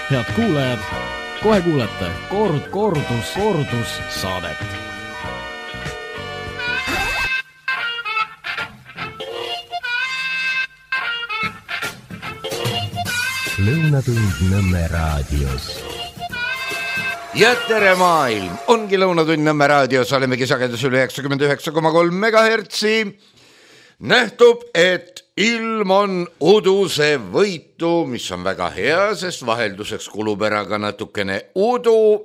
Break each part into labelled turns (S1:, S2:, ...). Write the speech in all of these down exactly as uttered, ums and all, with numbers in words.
S1: Head kuulajad, kohe kuulete kord, kordus, kordus saadet.
S2: Lõunatund Nõmme raadios.
S3: Ja tere maailm, ongi Lõunatund Nõmme raadios, olemegi sagedus üle üheksakümmend üheksa koma kolm megahertsi. Nähtub, et ilm on uduse võitu, mis on väga hea, sest vahelduseks kulub ära ka natukene udu.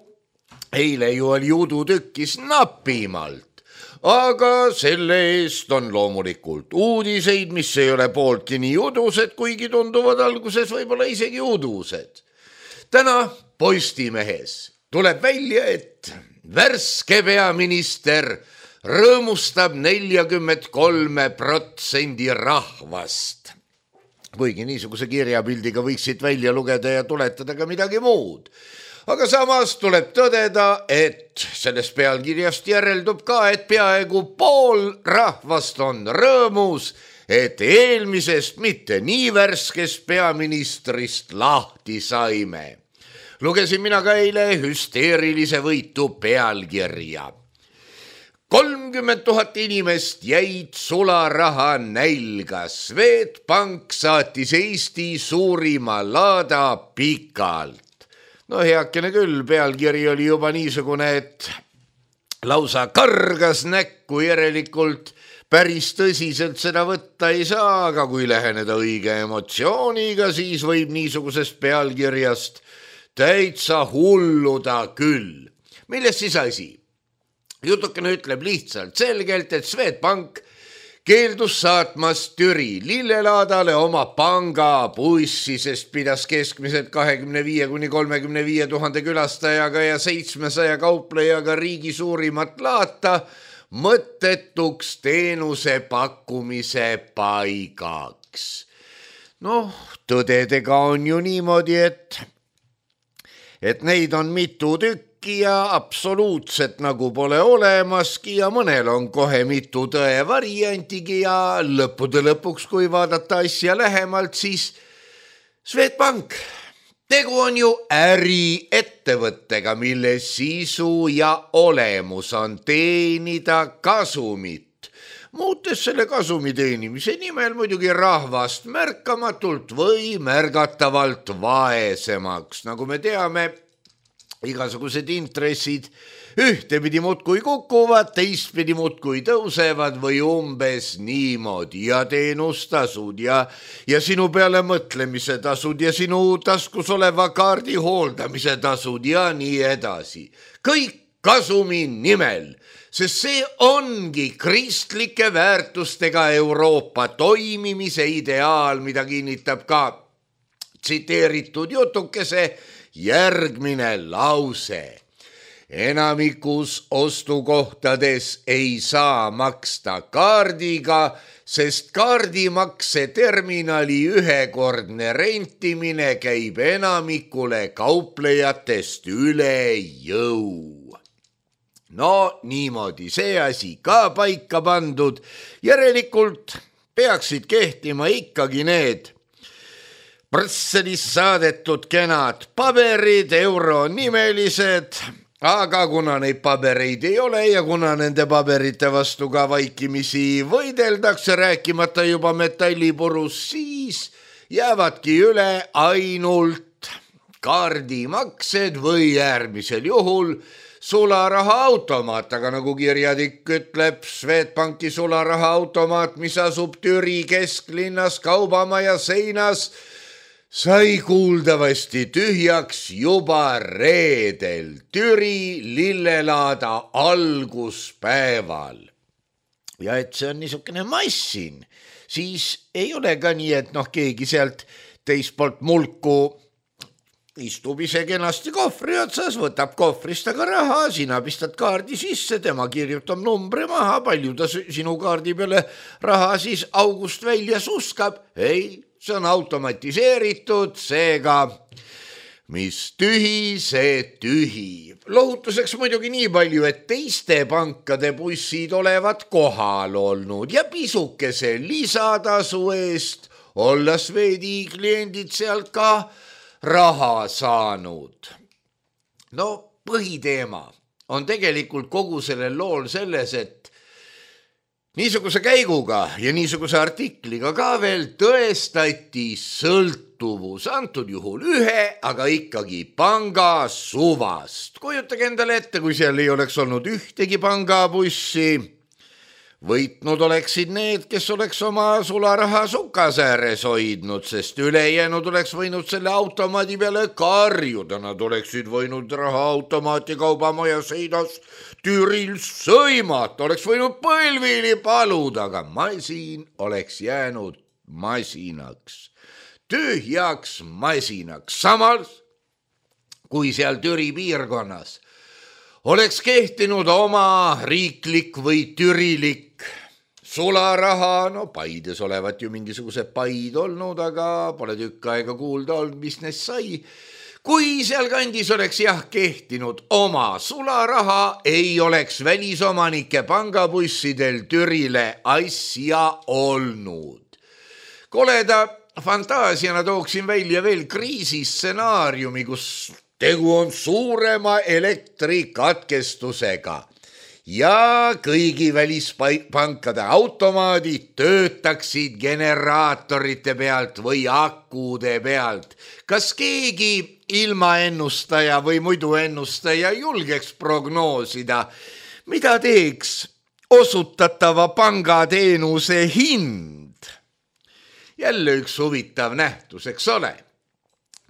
S3: Eile ju oli udu tükkis napimalt, aga selle eest on loomulikult uudiseid, mis ei ole pooltki nii udused, kuigi tunduvad alguses võib-olla isegi udused. Täna Postimehes tuleb välja, et värske peaminister rõõmustab neljakümmet kolme protsendi rahvast. Kuigi niisuguse kirjapildiga võiksid välja lugeda ja tuletada ka midagi muud. Aga samas tuleb tõdeda, et sellest pealkirjast järeldub ka, et peaaegu pool rahvast on rõõmus, et eelmisest mitte nii värskest peaministrist lahti saime. Lugesin mina ka eile hüsteerilise võitu pealkirja. kolmkümmend tuhat inimest jäid sularaha nälga. Swedbank saatis Eesti suurima laada pikalt. No heakene küll, pealkiri oli juba niisugune, et lausa kargas näkku, järelikult päris tõsiselt seda võtta ei saa, aga kui läheneda õige emotsiooniga, siis võib niisugusest pealkirjast täitsa hulluda küll. Milles siis asi? Jutukene ütleb lihtsalt selgelt, et Swedbank keeldus saatmas Türi lillelaadale oma pangabussi, sest pidas keskmiselt kahekümne viie kuni kolmekümne viie tuhande külastajaga ja seitsmesaja kauplejaga riigi suurimat laata mõttetuks teenuse pakkumise paigaks. Noh, tõdedega on ju niimoodi, et, et neid on mitu tükki ja absoluutselt nagu pole olemaski ja mõnel on kohe mitu tõe variantigi ja lõppude lõpuks, kui vaadata asja lähemalt, siis Swedbank, tegu on ju äriettevõttega, mille sisu ja olemus on teenida kasumit, muutes selle kasumi teenimise nimel muidugi rahvast märkamatult või märgatavalt vaesemaks, nagu me teame. Igasugused intressid ühtepidi muudkui kukuvad, teistpidi muudkui tõusevad või umbes niimoodi ja teenustasud ja, ja sinu peale mõtlemise tasud ja sinu taskus oleva kaardi hooldamise tasud ja nii edasi. Kõik kasumi nimel, sest see ongi kristlike väärtustega Euroopa toimimise ideaal, mida kinnitab ka tsiteeritud jutukese järgmine lause. Enamikus ostukohtades ei saa maksta kaardiga, sest kaardimakse terminali ühekordne rentimine käib enamikule kauplejatest üle jõu. No niimoodi see asi ka paika pandud. Järelikult peaksid kehtima ikkagi need Brüsselist saadetud kenad paberid, euronimelised, aga kuna neid pabereid ei ole ja kuna nende paberite vastu ka vaikimisi võideldakse, rääkimata juba metallipurus, siis jäävadki üle ainult kaardimaksed või äärmisel juhul sularaha automaat, aga nagu kirjatik ütleb, Swedbanki sularaha automaat, mis asub Türi kesklinnas kaubamaja seinas, sai kuuldavasti tühjaks juba reedel Türi lillelaada alguspäeval. Ja et see on niisugune massin, siis ei ole ka nii, et noh, keegi sealt teist poolt mulku istub ise kenasti kohvri otsas, võtab kohvrist aga raha, sina pistad kaardi sisse, tema kirjutab numbri maha, palju ta sinu kaardi peale raha siis august välja suskab. Ei, see on automatiseeritud, seega mis tühi, see tühi. Lohutuseks muidugi nii palju, et teiste pankade bussid olevat kohal olnud ja pisukese lisatasu eest olla Swedi kliendid sealt ka raha saanud. No põhiteema on tegelikult kogu sellel lool selles, et niisuguse käiguga ja niisuguse artikliga ka veel tõestati sõltuvus, antud juhul ühe, aga ikkagi panga suvast. Kujutage endale ette, kui seal ei oleks olnud ühtegi pangabussi, võitnud oleksid need, kes oleks oma sularaha sukas ääres hoidnud, sest ülejäänud oleks võinud selle automaadi peale karjuda. Nad oleksid võinud rahaautomaati kaubamaja seinas Türil sõimata, oleks võinud põlvili paluda, aga masin oleks jäänud masinaks, tühjaks masinaks. Samas, kui seal Türi piirkonnas oleks kehtinud oma riiklik või türilik sularaha, no Paides olevat ju mingisugused paid olnud, aga pole tükk aega kuulda olnud, mis neist sai. Kui seal kandis oleks jah kehtinud oma sularaha, ei oleks välisomanike pangabussidel Türile asja olnud. Koleda fantaasiana tooksin välja veel kriisistsenaariumi, kus tegu on suurema elektrikatkestusega ja kõigi välispankade automaadid töötaksid generaatorite pealt või akude pealt. Kas keegi ilmaennustaja või muidu ennustaja julgeks prognoosida, mida teeks osutatava pangateenuse hind? Jälle üks huvitav nähtus, eks ole?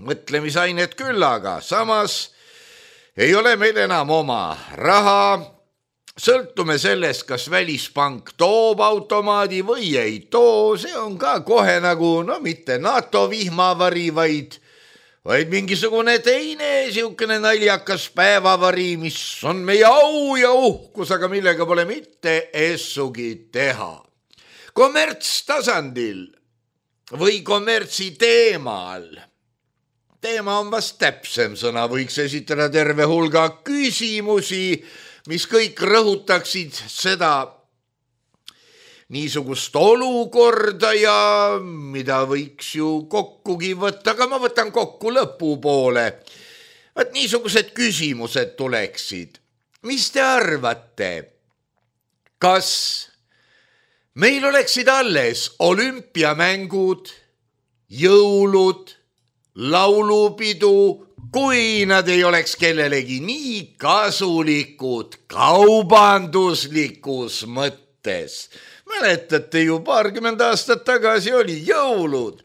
S3: Mõtlemisainet küllaga, samas ei ole meil enam oma raha. Sõltume sellest, kas välispank toob automaadi või ei too, see on ka kohe nagu, no mitte NATO vihmavari, vaid, vaid mingisugune teine siukene naljakas päevavari, mis on meie au ja uhkus, aga millega pole mitte essugi teha. Kommertstasandil või kommertsi teemal, teema on vast täpsem sõna, võiks esitada terve hulga küsimusi, mis kõik rõhutaksid seda niisugust olukorda ja mida võiks ju kokkugi võtta, aga ma võtan kokku lõpupoole. Vaat niisugused küsimused tuleksid. Mis te arvate, kas meil oleksid alles olümpiamängud, jõulud, laulupidu, kui nad ei oleks kellelegi nii kasulikud kaubanduslikus mõttes? Mäletate ju, paarkümmend aastat tagasi oli jõulud,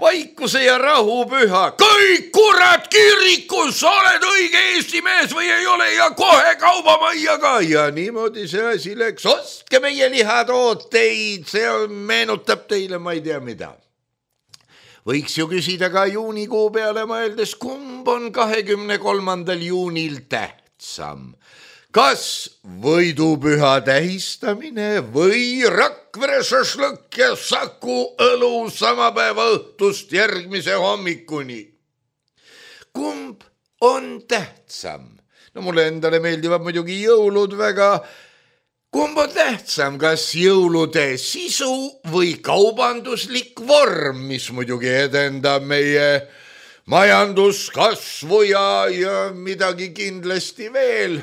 S3: vaikuse ja rahupüha. Kõik kurat kirikus, oled õige Eesti mees või ei ole ja kohe kaubamaiaga. Ja niimoodi see asi läks, ostke meie lihatooteid, see meenutab teile, ma ei tea mida. Võiks ju küsida ka juunikuu peale mõeldes, kumb on kahekümne kolmandal juunil tähtsam. Kas võidupüha tähistamine või Rakvere šašlõkk ja Saku õlu sama päeva õhtust järgmise hommikuni? Kumb on tähtsam? No mulle endale meeldivad muidugi jõulud väga. Kumb on tähtsam, kas jõulude sisu või kaubanduslik vorm, mis muidugi edendab meie majanduskasvu ja, ja midagi kindlasti veel?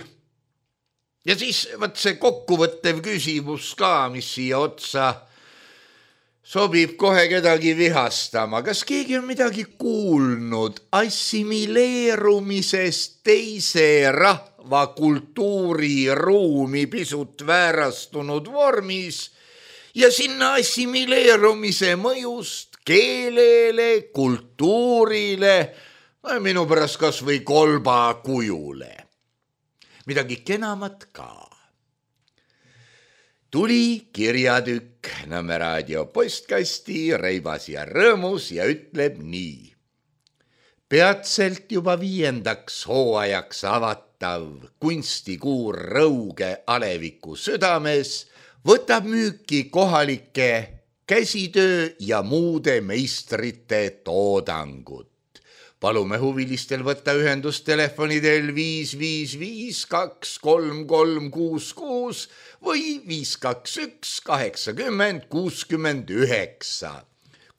S3: Ja siis võt see kokkuvõttev küsimus ka, mis siia otsa sobib kohe kedagi vihastama. Kas keegi on midagi kuulnud assimileerumisest teise rahva kultuuriruumi pisut väärastunud vormis ja sinna assimileerumise mõjust keelele, kultuurile, minu pärast kas või kolba kujule? Midagi kenamat ka. Tuli kirjatükk Nõmme raadio postkasti, reibas ja rõõmus ja ütleb nii. Peatselt juba viiendaks hooajaks avatav kunstikuur Rõuge Aleviku südames võtab müüki kohalike käsitöö ja muude meistrite toodangut. Palume huvilistel võtta ühendust telefonidel viis viis viis kaks kolm kolm kuus kuus või viis kaks üks kaheksakümmend kuuskümmend üheksa.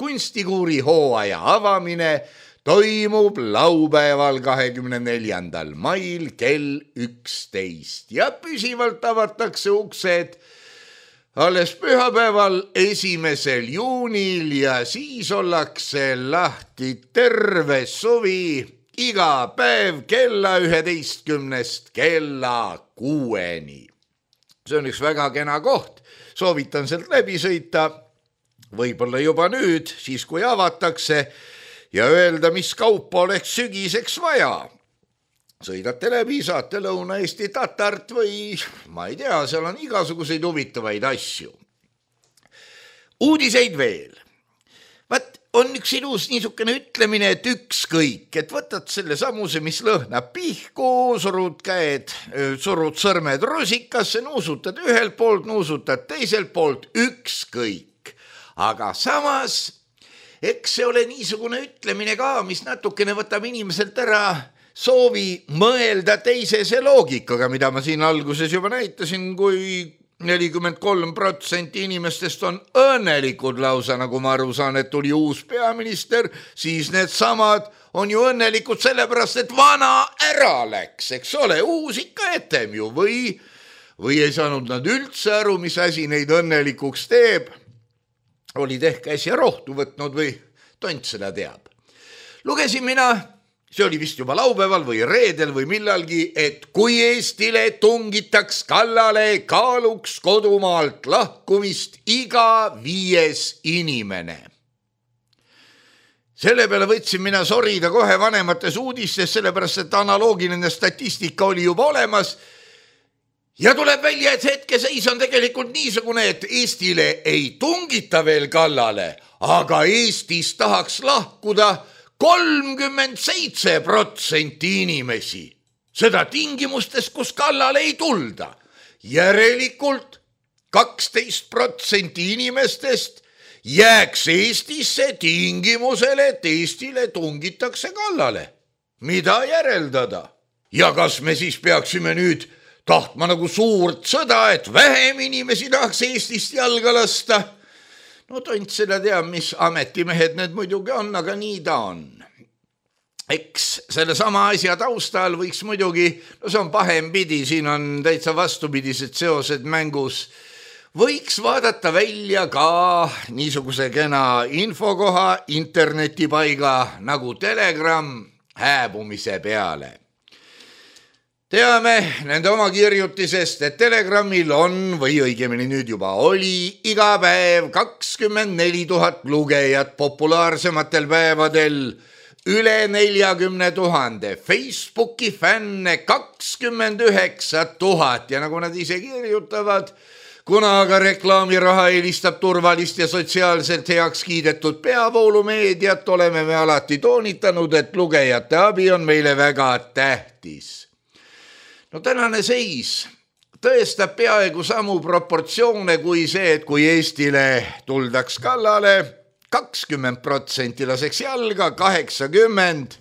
S3: Kunstikuuri hooaja avamine toimub laupäeval kahekümne neljandal mail kell üksteist ja püsivalt avatakse uksed alles pühapäeval esimesel juunil ja siis ollakse lahti terve suvi iga päev kella üheteistkümnest kella kuueni. See on üks väga kena koht, soovitan sealt läbi sõita, võib-olla juba nüüd, siis kui avatakse ja öelda, mis kaupa oleks sügiseks vaja. Sõidate läbi, saate Lõuna-Eesti tatart või ma ei tea, seal on igasuguseid huvitavaid asju. Uudiseid veel. Vaat on üks ilus niisugune ütlemine, et ükskõik, et võtad selle samuse, mis lõhnab pihku, surud käed, surud sõrmed rusikasse, nuusutad ühelt poolt, nuusutad teiselt poolt, ükskõik. Aga samas, eks see ole niisugune ütlemine ka, mis natukene võtab inimeselt ära soovi mõelda teisese loogikaga, mida ma siin alguses juba näitasin, kui nelikümmend kolm protsenti inimestest on õnnelikud lausa, nagu ma aru saan, et tuli uus peaminister, siis need samad on ju õnnelikud sellepärast, et vana ära läks, eks ole, uus ikka etem ju, või, või ei saanud nad üldse aru, mis asi neid õnnelikuks teeb, olid ehk äsja rohtu võtnud või tont seda teab. Lugesin mina, see oli vist juba laupäeval või reedel või millalgi, et kui Eestile tungitaks kallale, kaaluks kodumaalt lahkumist iga viies inimene. Selle peale võtsin mina sorida kohe vanemates uudistes, sellepärast et analoogiline statistika oli juba olemas ja tuleb välja, et hetkeseis on tegelikult niisugune, et Eestile ei tungita veel kallale, aga Eestis tahaks lahkuda kolmkümmend seitse protsenti inimesi. Seda tingimustes, kus kallale ei tulda. Järelikult kaksteist protsenti inimestest jääks Eestisse tingimusele, et Eestile tungitakse kallale. Mida järeldada? Ja kas me siis peaksime nüüd tahtma nagu suurt sõda, et vähem inimesi tahaks Eestist jalga lasta? No tont seda teab, mis ametimehed need muidugi on, aga nii ta on. Eks selle sama asja taustal võiks muidugi, no see on pahempidi, siin on täitsa vastupidised seosed mängus, võiks vaadata välja ka niisuguse kena infokoha internetipaiga nagu Telegram hääbumise peale. Teame nende oma kirjutisest, et Telegramil on, või õigemini nüüd juba oli, iga päev kakskümmend neli tuhat lugejat populaarsematel päevadel, üle neljakümne tuhande, Facebooki fänne kakskümmend üheksa tuhat ja nagu nad ise kirjutavad, kuna aga reklaamiraha eelistab turvalist ja sotsiaalselt heaks kiidetud peavoolumeediat, oleme me alati toonitanud, et lugejate abi on meile väga tähtis. No tänane seis tõestab peaaegu samu proportsioone kui see, et kui Eestile tuldaks kallale, kakskümmend protsenti laseks jalga, kaheksakümmend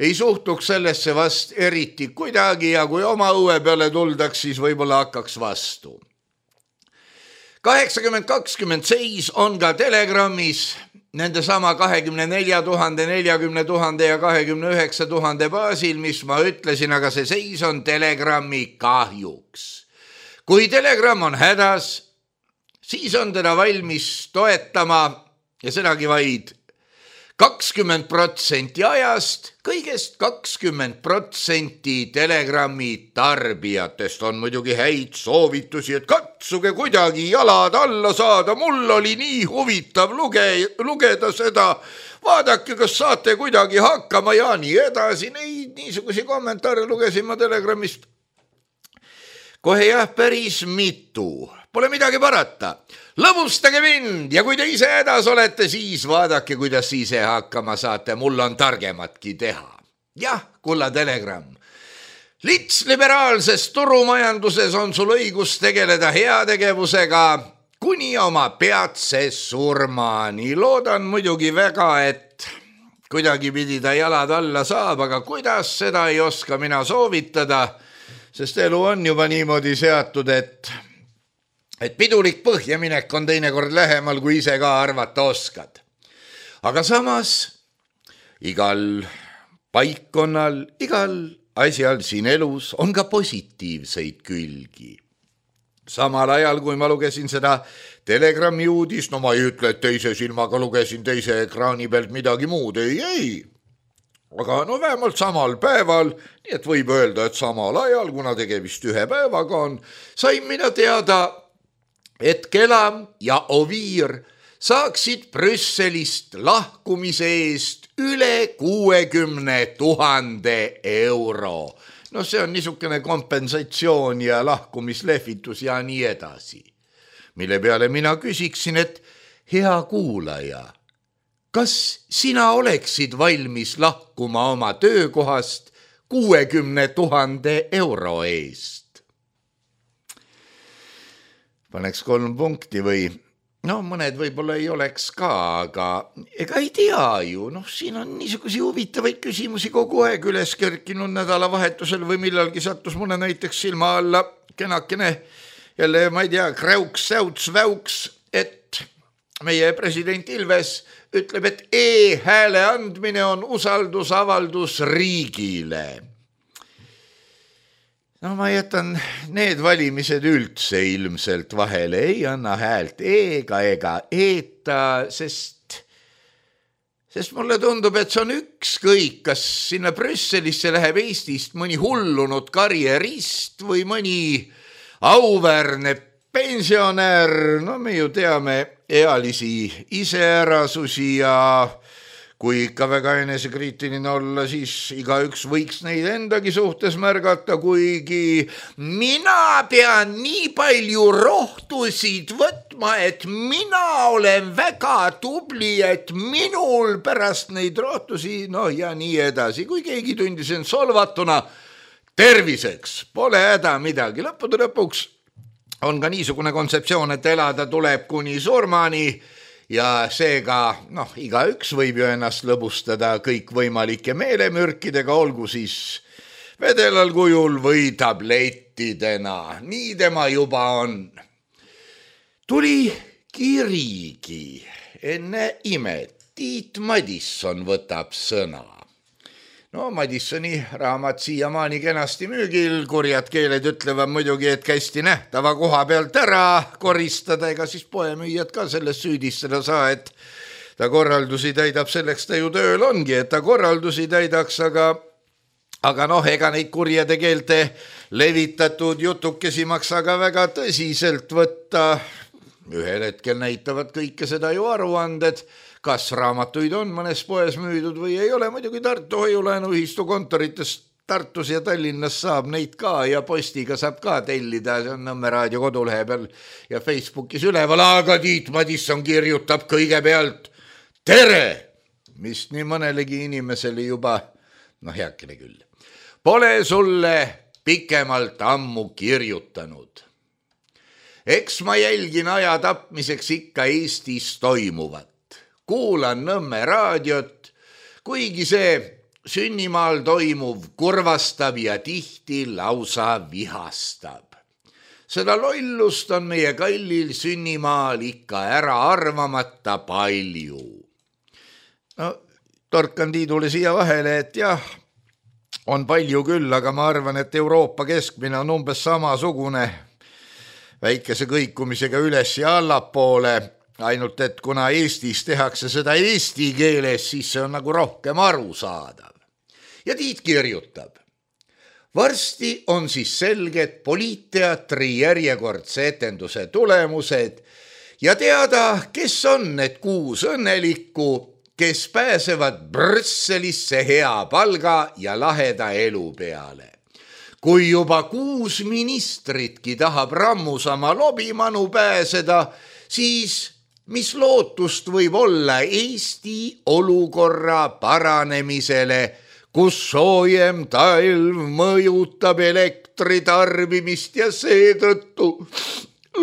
S3: ei suhtuks sellesse vast eriti kuidagi ja kui oma õue peale tuldaks, siis võib-olla hakkaks vastu. kaheksakümmend kakskümmend seis on ka Telegramis nende sama kahekümne nelja tuhande, neljakümne tuhande ja kahekümne üheksa tuhande baasil, mis ma ütlesin, aga see seis on Telegrami kahjuks. Kui Telegram on hädas, siis on teda valmis toetama ja sedagi vaid kakskümmend protsenti ajast, kõigest kakskümmend protsenti Telegrami tarbijatest on muidugi häid soovitusi, et katsuge kuidagi jalad alla saada, mul oli nii huvitav luge, lugeda seda, vaadake, kas saate kuidagi hakkama ja nii edasi, neid niisugusi kommentaare lugesin ma Telegramist. Kohe jah, päris mitu. Pole midagi parata. Lõbustage mind ja kui te ise hädas olete, siis vaadake, kuidas ise hakkama saate. Mul on targematki teha. Jah, kulla Telegram. Lits liberaalses turumajanduses on sul õigus tegeleda heategevusega kuni oma peatse surmani. Loodan muidugi väga, et kuidagi pidi ta jalad alla saab, aga kuidas seda ei oska mina soovitada, sest elu on juba niimoodi seatud, et et pidulik põhjaminek on teinekord lähemal, kui ise ka arvata oskad. Aga samas igal paikkonnal, igal asjal siin elus on ka positiivseid külgi. Samal ajal, kui ma lugesin seda Telegrami uudis, no ma ei ütle, et teise silmaga lugesin teise ekraani pealt midagi muud, ei, ei. Aga no vähemalt samal päeval, nii et võib öelda, et samal ajal, kuna tegemist ühe päevaga on, sain mina teada, et Kelam ja Oviir saaksid Brüsselist lahkumise eest üle kuuekümne tuhande euro. No see on niisugune kompensatsioon ja lahkumislehvitus ja nii edasi. Mille peale mina küsiksin, et hea kuulaja, kas sina oleksid valmis lahkuma oma töökohast kuuekümne tuhande euro eest? Paneks kolm punkti või... No mõned võib-olla ei oleks ka, aga ega ei tea ju. Noh, siin on niisugusi huvitavaid küsimusi kogu aeg üles kerkinud nädalavahetusel või millalgi sattus mulle näiteks silma alla kenakene jälle, ma ei tea, kräuks, säuts, väuks, et meie president Ilves ütleb, et e-hääle andmine on usaldusavaldus riigile. No ma jätan need valimised üldse ilmselt vahele, ei anna häält ega ega eeta, sest, sest mulle tundub, et see on ükskõik, kas sinna Brüsselisse läheb Eestist mõni hullunud karjerist või mõni auväärne pensionär, no me ju teame ealisi iseärasusi ja kui ikka väga enesekriitiline olla, siis igaüks võiks neid endagi suhtes märgata, kuigi mina pean nii palju rohtusid võtma, et mina olen väga tubli, et minul pärast neid rohtusi, no ja nii edasi. Kui keegi tundis end solvatuna, terviseks, pole häda midagi. Lõppude lõpuks on ka niisugune kontseptsioon, et elada tuleb kuni surmani, ja seega, noh, igaüks võib ju ennast lõbustada kõikvõimalike meelemürkidega, olgu siis vedelal kujul või tablettidena. Nii tema juba on. Tuli kirigi enne imet. Tiit Madisson võtab sõna. No Madissoni raamat siiamaani kenasti müügil, kurjad keeled ütlevad muidugi, et kästi nähtava koha pealt ära koristada, ega siis poemüüjad ka sellest süüdistada saa, et ta korraldusi täidab, selleks ta ju tööl ongi, et ta korraldusi täidaks, aga, aga noh, ega neid kurjade keelte levitatud jutukesi maksa ka väga tõsiselt võtta. Ühel hetkel näitavad kõike seda ju aruanded, kas raamatuid on mõnes poes müüdud või ei ole. Muidugi Tartu hoiulaenuühistu kontoritest Tartus ja Tallinnas saab neid ka ja postiga saab ka tellida, see on Nõmme raadio kodulehe peal ja Facebookis üleval, aga Tiit Madisson kirjutab kõigepealt tere, mis nii mõnelegi inimesele juba, noh heakene küll, pole sulle pikemalt ammu kirjutanud. Eks ma jälgin aja tapmiseks ikka Eestis toimuvat. Kuulan Nõmme raadiot, kuigi see sünnimaal toimuv kurvastab ja tihti lausa vihastab. Seda lollust on meie kallil sünnimaal ikka ära arvamata palju. No, torkan Tiidule siia vahele, et jah, on palju küll, aga ma arvan, et Euroopa keskmine on umbes samasugune väikese kõikumisega üles ja allapoole. Ainult, et kuna Eestis tehakse seda eesti keeles, siis see on nagu rohkem arusaadav. Ja Tiit kirjutab. Varsti on siis selged poliitteatri järjekordse etenduse tulemused ja teada, kes on need kuus õnnelikku, kes pääsevad Brüsselisse hea palga ja laheda elu peale. Kui juba kuus ministritki tahab rammusama lobimanu pääseda, siis mis lootust võib olla Eesti olukorra paranemisele, kus soojem talv mõjutab elektritarbimist ja seetõttu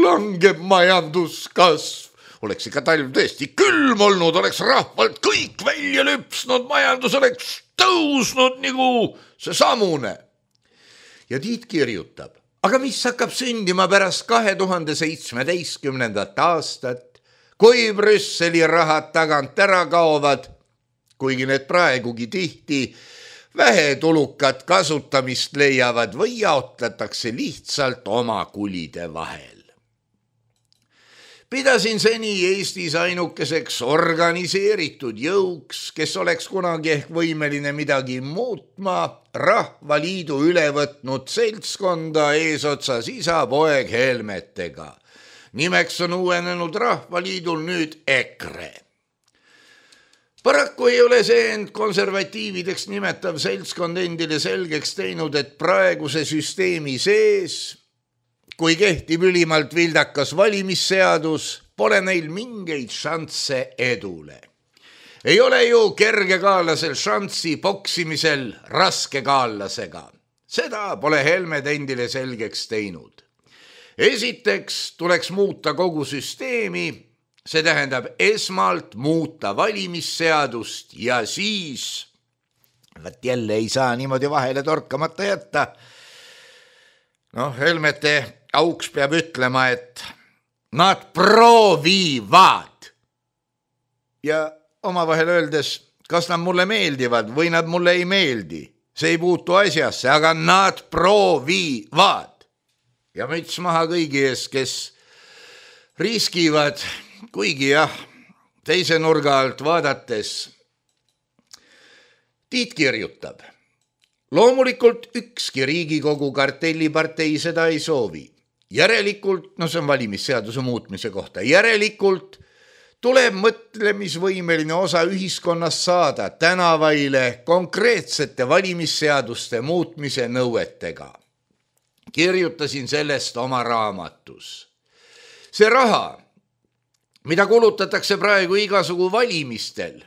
S3: langeb majanduskasv. Oleks ikka talv tõesti külm olnud, oleks rahvalt kõik välja lüpsnud, majandus oleks tõusnud nagu see samune. Ja Tiit kirjutab, aga mis hakkab sündima pärast kahe tuhande seitsmeteistkümnendat aastat, kui Brüsseli rahad tagant ära kaovad, kuigi need praegugi tihti vähetulukat kasutamist leiavad või jaotletakse lihtsalt oma kulide vahel. Pidasin seni Eestis ainukeseks organiseeritud jõuks, kes oleks kunagi ehk võimeline midagi muutma, Rahvaliidu üle võtnud seltskonda eesotsas isa poeg Helmetega. Nimeks on uuenenud Rahvaliidul nüüd EKRE. Paraku ei ole see end konservatiivideks nimetav seltskond endile selgeks teinud, et praeguse süsteemi sees, kui kehtib ülimalt vildakas valimisseadus, pole neil mingeid šansse edule. Ei ole ju kergekaalasel šanssi poksimisel raskekaalasega. Seda pole Helmed endile selgeks teinud. Esiteks tuleks muuta kogu süsteemi, see tähendab esmalt muuta valimisseadust ja siis, võt jälle ei saa niimoodi vahele torkamata jätta. Noh, Helmete auks peab ütlema, et nad proovivad. Ja omavahel öeldes, kas nad mulle meeldivad või nad mulle ei meeldi. See ei puutu asjasse, aga nad proovivad. Ja müts maha kõigi ees, kes riskivad, kuigi jah, teise nurga alt vaadates. Tiit kirjutab. Loomulikult ükski Riigikogu kartellipartei seda ei soovi. Järelikult, no see on valimisseaduse muutmise kohta, järelikult tuleb mõtlemisvõimeline osa ühiskonnast saada tänavaile konkreetsete valimisseaduste muutmise nõuetega. Kirjutasin sellest oma raamatus. See raha, mida kulutatakse praegu igasugu valimistel,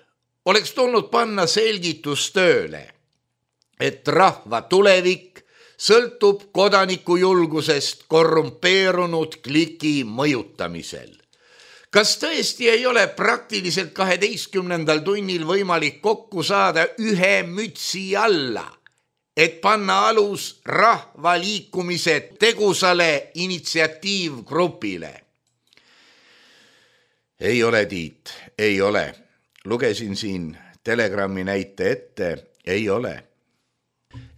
S3: oleks tulnud panna selgitustööle, et rahva tulevik sõltub kodaniku julgusest korrumpeerunud kliki mõjutamisel. Kas tõesti ei ole praktiliselt kaheteistkümnendal tunnil võimalik kokku saada ühe mütsi alla, et panna alus rahvaliikumise tegusale initsiatiivgrupile? Ei ole, Tiit, ei ole. Lugesin siin Telegrammi näite ette, ei ole.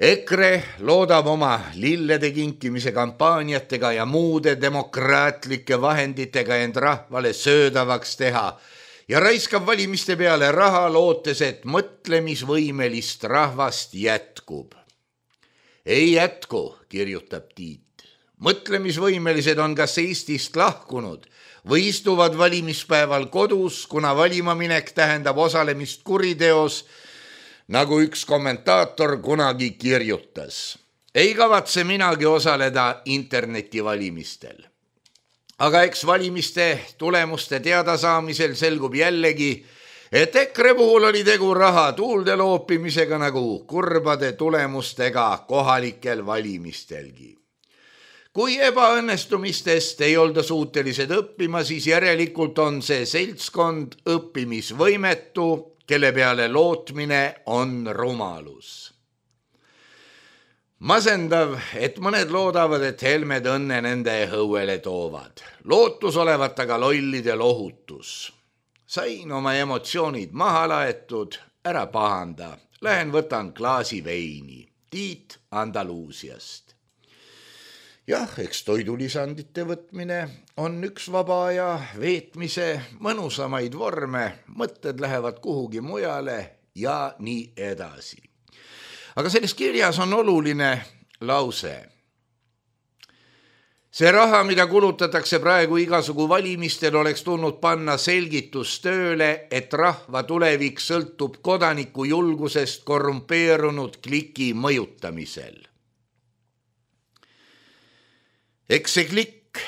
S3: EKRE loodab oma lillede kinkimise kampaaniatega ja muude demokraatlike vahenditega end rahvale söödavaks teha ja raiskab valimiste peale raha lootes, et mõtlemisvõimelist rahvast jätkub. Ei jätku, kirjutab Tiit. Mõtlemisvõimelised on kas Eestist lahkunud või istuvad valimispäeval kodus, kuna valimaminek tähendab osalemist kuriteos, nagu üks kommentaator kunagi kirjutas. Ei kavatse minagi osaleda internetivalimistel. Aga eks valimiste tulemuste teadasaamisel selgub jällegi, et EKRE puhul oli tegu raha tuulde loopimisega nagu kurbade tulemustega kohalikel valimistelgi. Kui ebaõnnestumistest ei olda suutelised õppima, siis järelikult on see seltskond õppimisvõimetu, kelle peale lootmine on rumalus. Masendav, et mõned loodavad, et Helmed õnne nende õuele toovad. Lootus olevat aga lollide lohutus. Sain oma emotsioonid maha laetud, ära pahanda. Lähen võtan klaasi veini. Tiit Andaluusiast. Jah, eks toidulisandite võtmine on üks vaba aja veetmise mõnusamaid vorme, mõtted lähevad kuhugi mujale ja nii edasi. Aga selles kirjas on oluline lause. See raha, mida kulutatakse praegu igasugu valimistel, oleks tulnud panna selgitustööle, et rahva tulevik sõltub kodaniku julgusest korrumpeerunud kliki mõjutamisel. Eks see klikk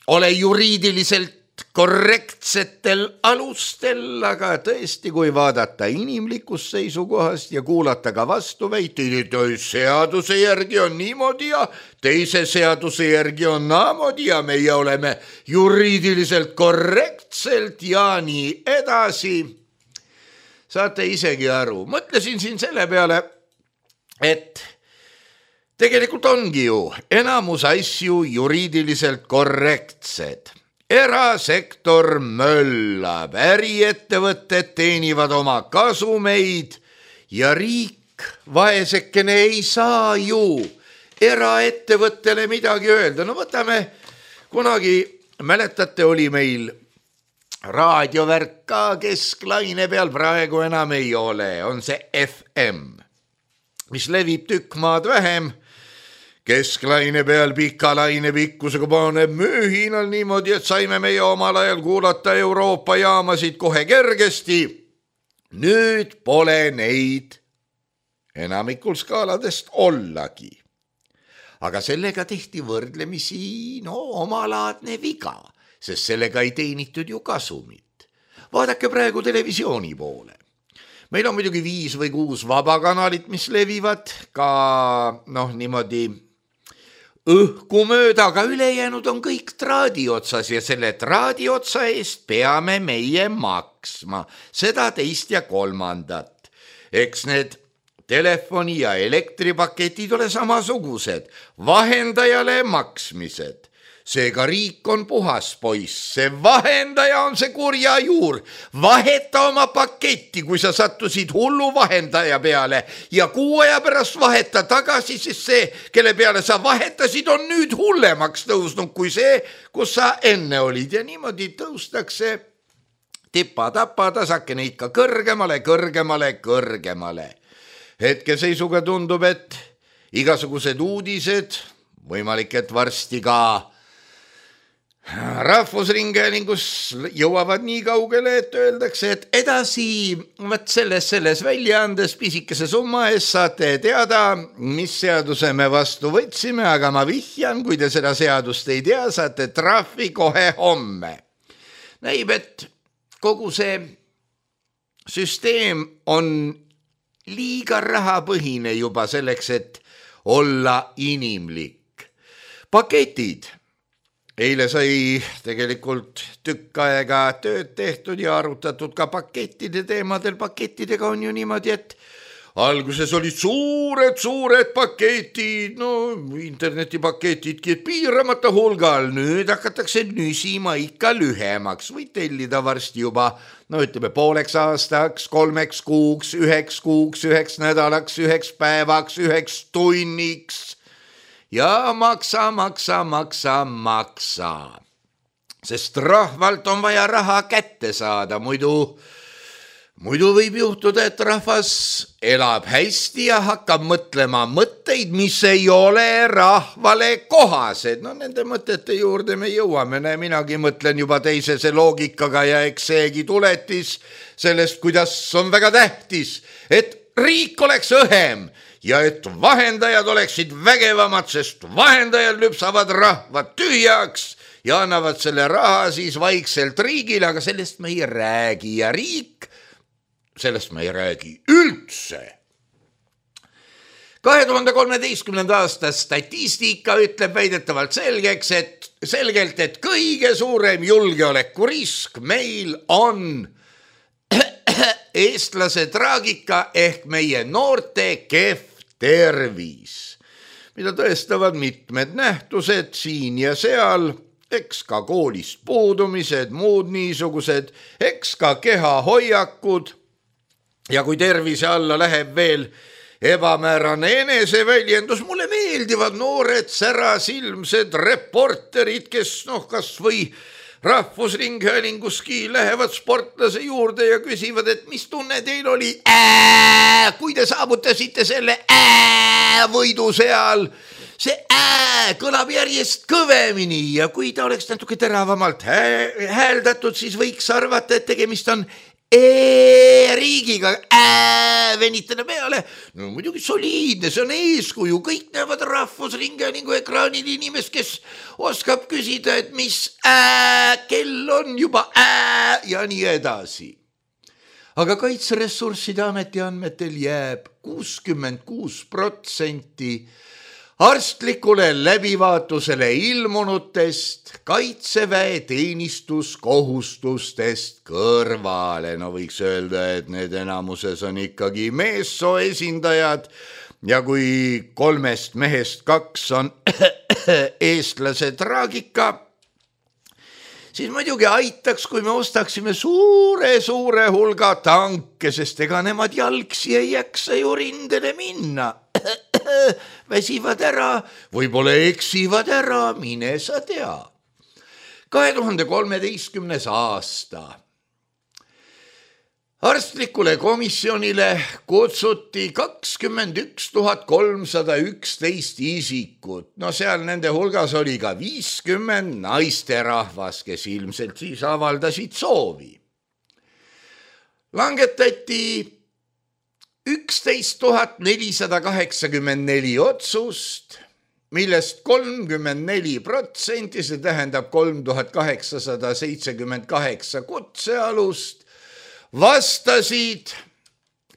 S3: ole juriidiliselt korrektsetel alustel, aga tõesti, kui vaadata inimlikust seisukohast ja kuulata ka vastuväiteid, et seaduse järgi on niimoodi ja teise seaduse järgi on naamoodi ja meie oleme juriidiliselt korrektselt ja nii edasi. Saate isegi aru. Mõtlesin siin selle peale, et tegelikult ongi ju enamus asju juriidiliselt korrektsed. erasektor möllab, äriettevõtted teenivad oma kasumeid ja riik vaesekene ei saa ju eraettevõttele midagi öelda. No võtame, kunagi mäletate, oli meil raadiovärk ka kesklaine peal, praegu enam ei ole, on see F M, mis levib tükk maad vähem. Kesklaine peal pika laine pikkusega paneb mühinal niimoodi, et saime meie omal ajal kuulata Euroopa jaamasid kohe kergesti. Nüüd pole neid enamikul skaaladest ollagi. Aga sellega tehti võrdlemisi no, omalaadne viga, sest sellega ei teenitud ju kasumit. Vaadake praegu televisiooni poole. Meil on muidugi viis või kuus vabakanalit, mis levivad ka noh, niimoodi õhku mööda, aga ülejäänud on kõik traadi otsas ja selle traadi otsa eest peame meie maksma. Seda teist ja kolmandat. Eks need telefoni ja elektripaketid ole samasugused. Vahendajale maksmised. Seega riik on puhas poiss, see vahendaja on see kurja juur. Vaheta oma paketti, kui sa sattusid hullu vahendaja peale ja kuu aja pärast vaheta tagasi, sest see, kelle peale sa vahetasid, on nüüd hullemaks tõusnud kui see, kus sa enne olid. Ja niimoodi tõustakse tipa-tapa tasakene ikka kõrgemale, kõrgemale, kõrgemale. Hetkeseisuga tundub, et igasugused uudised, võimalik, et varsti ka Rahvusringhäälingus jõuavad nii kaugele, et öeldakse, et edasi võt selles, selles väljaandes pisikese summa eest saate teada, mis seaduse me vastu võtsime, aga ma vihjan, kui te seda seadust ei tea, saate trahvi kohe homme. Näib, et kogu see süsteem on liiga rahapõhine juba selleks, et olla inimlik. Paketid. Eile sai tegelikult tükk aega tööd tehtud ja arutatud ka pakettide teemadel. Pakettidega on ju niimoodi, et alguses olid suured, suured paketid, no internetipaketidki piiramata hulgal. Nüüd hakatakse nüsima ikka lühemaks või tellida varsti juba, no ütleme pooleks aastaks, kolmeks kuuks, üheks kuuks, üheks nädalaks, üheks päevaks, üheks tunniks. Ja maksa, maksa, maksa, maksa. Sest rahvalt on vaja raha kätte saada, muidu, muidu võib juhtuda, et rahvas elab hästi ja hakkab mõtlema mõtteid, mis ei ole rahvale kohased. No nende mõtete juurde me jõuame, minagi mõtlen juba teisese loogikaga ja eks seegi tuletis sellest, kuidas on väga tähtis, et riik oleks õhem ja et vahendajad oleksid vägevamad, sest vahendajad lüpsavad rahvad tühjaks ja annavad selle raha siis vaikselt riigile, aga sellest me ei räägi ja riik, sellest me ei räägi üldse. kahe tuhande kolmeteistkümnenda aasta statistika ütleb väidetavalt selgeks, et selgelt, et kõige suurem julgeolekurisk meil on eestlase traagika ehk meie noorte kehv tervis, mida tõestavad mitmed nähtused siin ja seal, eks ka koolist puudumised, muud niisugused, eks ka kehahoiakud ja kui tervise alla läheb veel ebamäärane eneseväljendus, mulle meeldivad noored särasilmsed reporterid, kes noh, kas või Rahvusringhäälinguski lähevad sportlase juurde ja küsivad, et mis tunne teil oli, ää, kui te saavutasite selle ää, võidu seal. See ää kõlab järjest kõvemini ja kui ta oleks natuke teravamalt hääldatud, siis võiks arvata, et tegemist on e-riigiga ää, venitada peale. No muidugi soliidne, see on eeskuju, kõik näevad Rahvusringhäälingu ekraanil inimest, kes oskab küsida, et mis ää, kell on juba ää ja nii edasi. Aga Kaitseressursside Ameti andmetel jääb kuuskümmend kuus protsenti arstlikule läbivaatusele ilmunutest Kaitseväe teenistuskohustustest kõrvale. No võiks öelda, et need enamuses on ikkagi meessoo esindajad ja kui kolmest mehest kaks on eestlase traagika, siis muidugi aitaks, kui me ostaksime suure-suure hulga tanke, sest ega nemad jalgsi ei jaksa ju rindele minna. Väsivad ära, võib-olla eksivad ära, mine sa tea. kahe tuhande kolmeteistkümnes aasta. Arstlikule komisjonile kutsuti kakskümmend üks tuhat kolmsada üksteist isikut. No seal nende hulgas oli ka viiskümmend naisterahvas, kes ilmselt siis avaldasid soovi. Langetati üksteist tuhat nelisada kaheksakümmend neli otsust, millest kolmkümmend neli protsenti, see tähendab kolm tuhat kaheksasada seitsekümmend kaheksa kutsealust, vastasid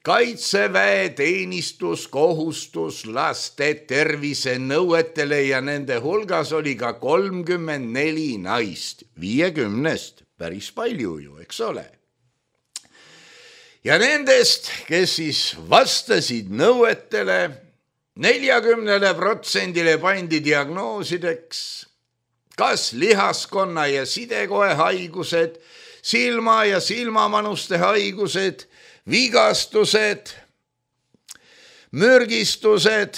S3: kaitseväe teenistuskohustuslaste tervise nõuetele ja nende hulgas oli ka kolmkümmend neli naist, viiekümnest, päris palju ju, eks ole. Ja nendest, kes siis vastasid nõuetele, neljakümnele protsendile pandi diagnoosideks kas lihaskonna ja sidekoe haigused, silma- ja silmamanuste haigused, vigastused, mürgistused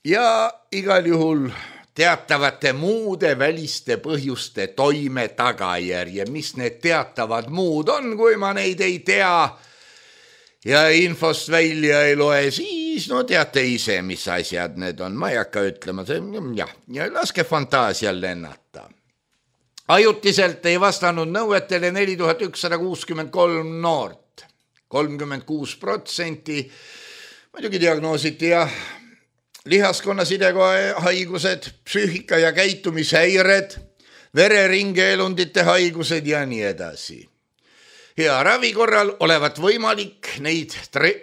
S3: ja igal juhul teatavate muude väliste põhjuste toime tagajärje. Mis need teatavad muud on, kui ma neid ei tea ja infost välja ei loe, siis no teate ise, mis asjad need on. Ma ei hakka ütlema, jah, ja laske fantaasial lennata. Ajutiselt ei vastanud nõuetele neli tuhat ükssada kuuskümmend kolm noort, kolmkümmend kuus protsenti. Muidugi diagnoositi ja lihaskonna sidekoe haigused, psüühika- ja käitumishäired, vereringeelundite haigused ja nii edasi. Hea ravi korral olevat võimalik neid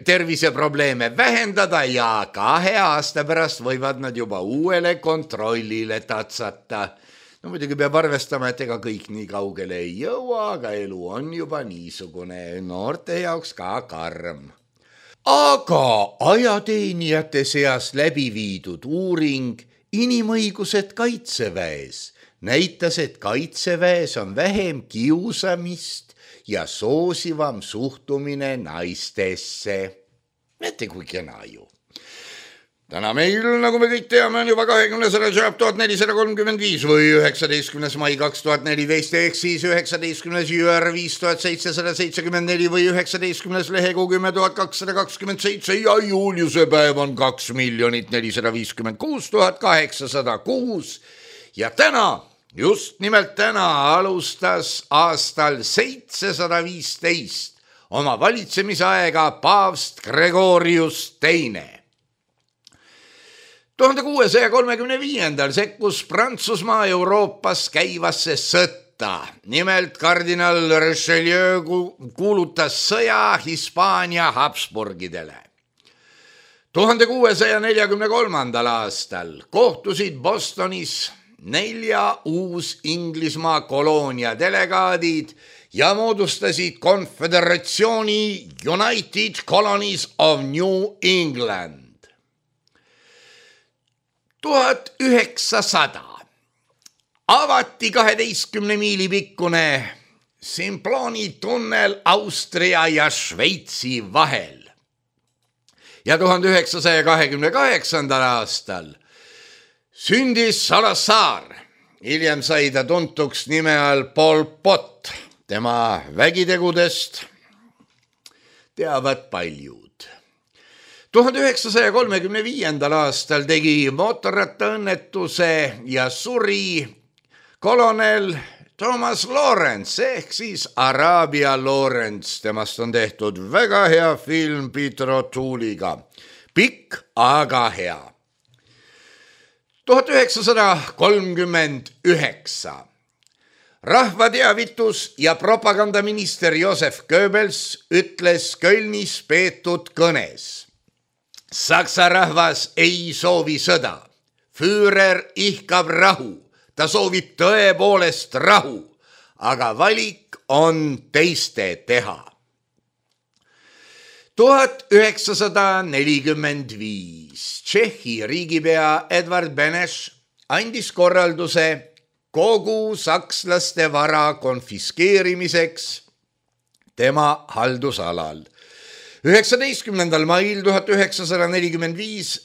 S3: terviseprobleeme vähendada ja kahe aasta pärast võivad nad juba uuele kontrollile tatsata. No muidugi peab arvestama, et ega kõik nii kaugele ei jõua, aga elu on juba niisugune noorte jaoks ka karm. Aga ajateenijate seas läbi viidud uuring Inimõigused kaitseväes näitas, et kaitseväes on vähem kiusamist ja soosivam suhtumine naistesse. Näete, kui kena ju. Täna meil, nagu me kõik teame, on juba kahekümnes Rajab tuhat nelisada kolmkümmend viis või üheksateistkümnes mai kaks tuhat neliteist ehk siis üheksateistkümnes jüär viis tuhat seitsesada seitsekümmend neli või üheksateistkümnes lehekuu kümme tuhat kakssada kakskümmend seitse ja Juliuse päev on kaks miljonit nelisada viiskümmend kuus tuhat kaheksasada kuus ja täna, just nimelt täna alustas aastal seitsesada viisteist oma valitsemisaega paavst Gregorius teine. tuhande kuuesaja kolmekümne viiendal sekkus Prantsusmaa Euroopas käivasse sõtta. Nimelt kardinal Richelieu kuulutas sõja Hispaania Habsburgidele. tuhande kuuesaja neljakümne kolmandal aastal kohtusid Bostonis nelja uus Inglismaa koloonia delegaadid ja moodustasid konföderatsiooni United Colonies of New England. tuhat üheksasada avati kaheteistkümne miili pikkune Simploni tunnel Austria ja Šveitsi vahel. Ja tuhande üheksasaja kahekümne kaheksandal aastal sündis Salazar. Hiljem sai ta tuntuks nime all Pol Pot. Tema vägitegudest teavad paljud. tuhande üheksasaja kolmekümne viiendal aastal tegi mootorrattaõnnetuse ja suri kolonel Thomas Lawrence ehk siis Araabia Lawrence. Temast on tehtud väga hea film Peter O'Toole'iga. Pikk, aga hea. tuhat üheksasada kolmkümmend üheksa. Rahvateavitus- ja propagandaminister Josef Goebbels ütles Kölnis peetud kõnes. Saksa rahvas ei soovi sõda. Führer ihkab rahu. Ta soovib tõepoolest rahu, aga valik on teiste teha. tuhat üheksasada nelikümmend viis. Tšehhi riigipea Edvard Beneš andis korralduse kogu sakslaste vara konfiskeerimiseks tema haldusalal. üheksateistkümnendal mail tuhat üheksasada nelikümmend viis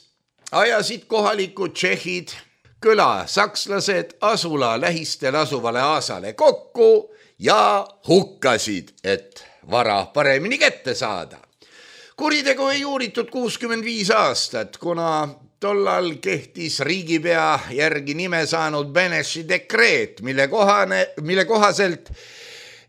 S3: ajasid kohalikud tšehhid küla sakslased asula lähistel asuvale aasale kokku ja hukkasid, et vara paremini kätte saada. Kuritegu ei uuritud kuuskümmend viis aastat, kuna tollal kehtis riigipea järgi nime saanud Beneši dekreet, mille, kohane, mille kohaselt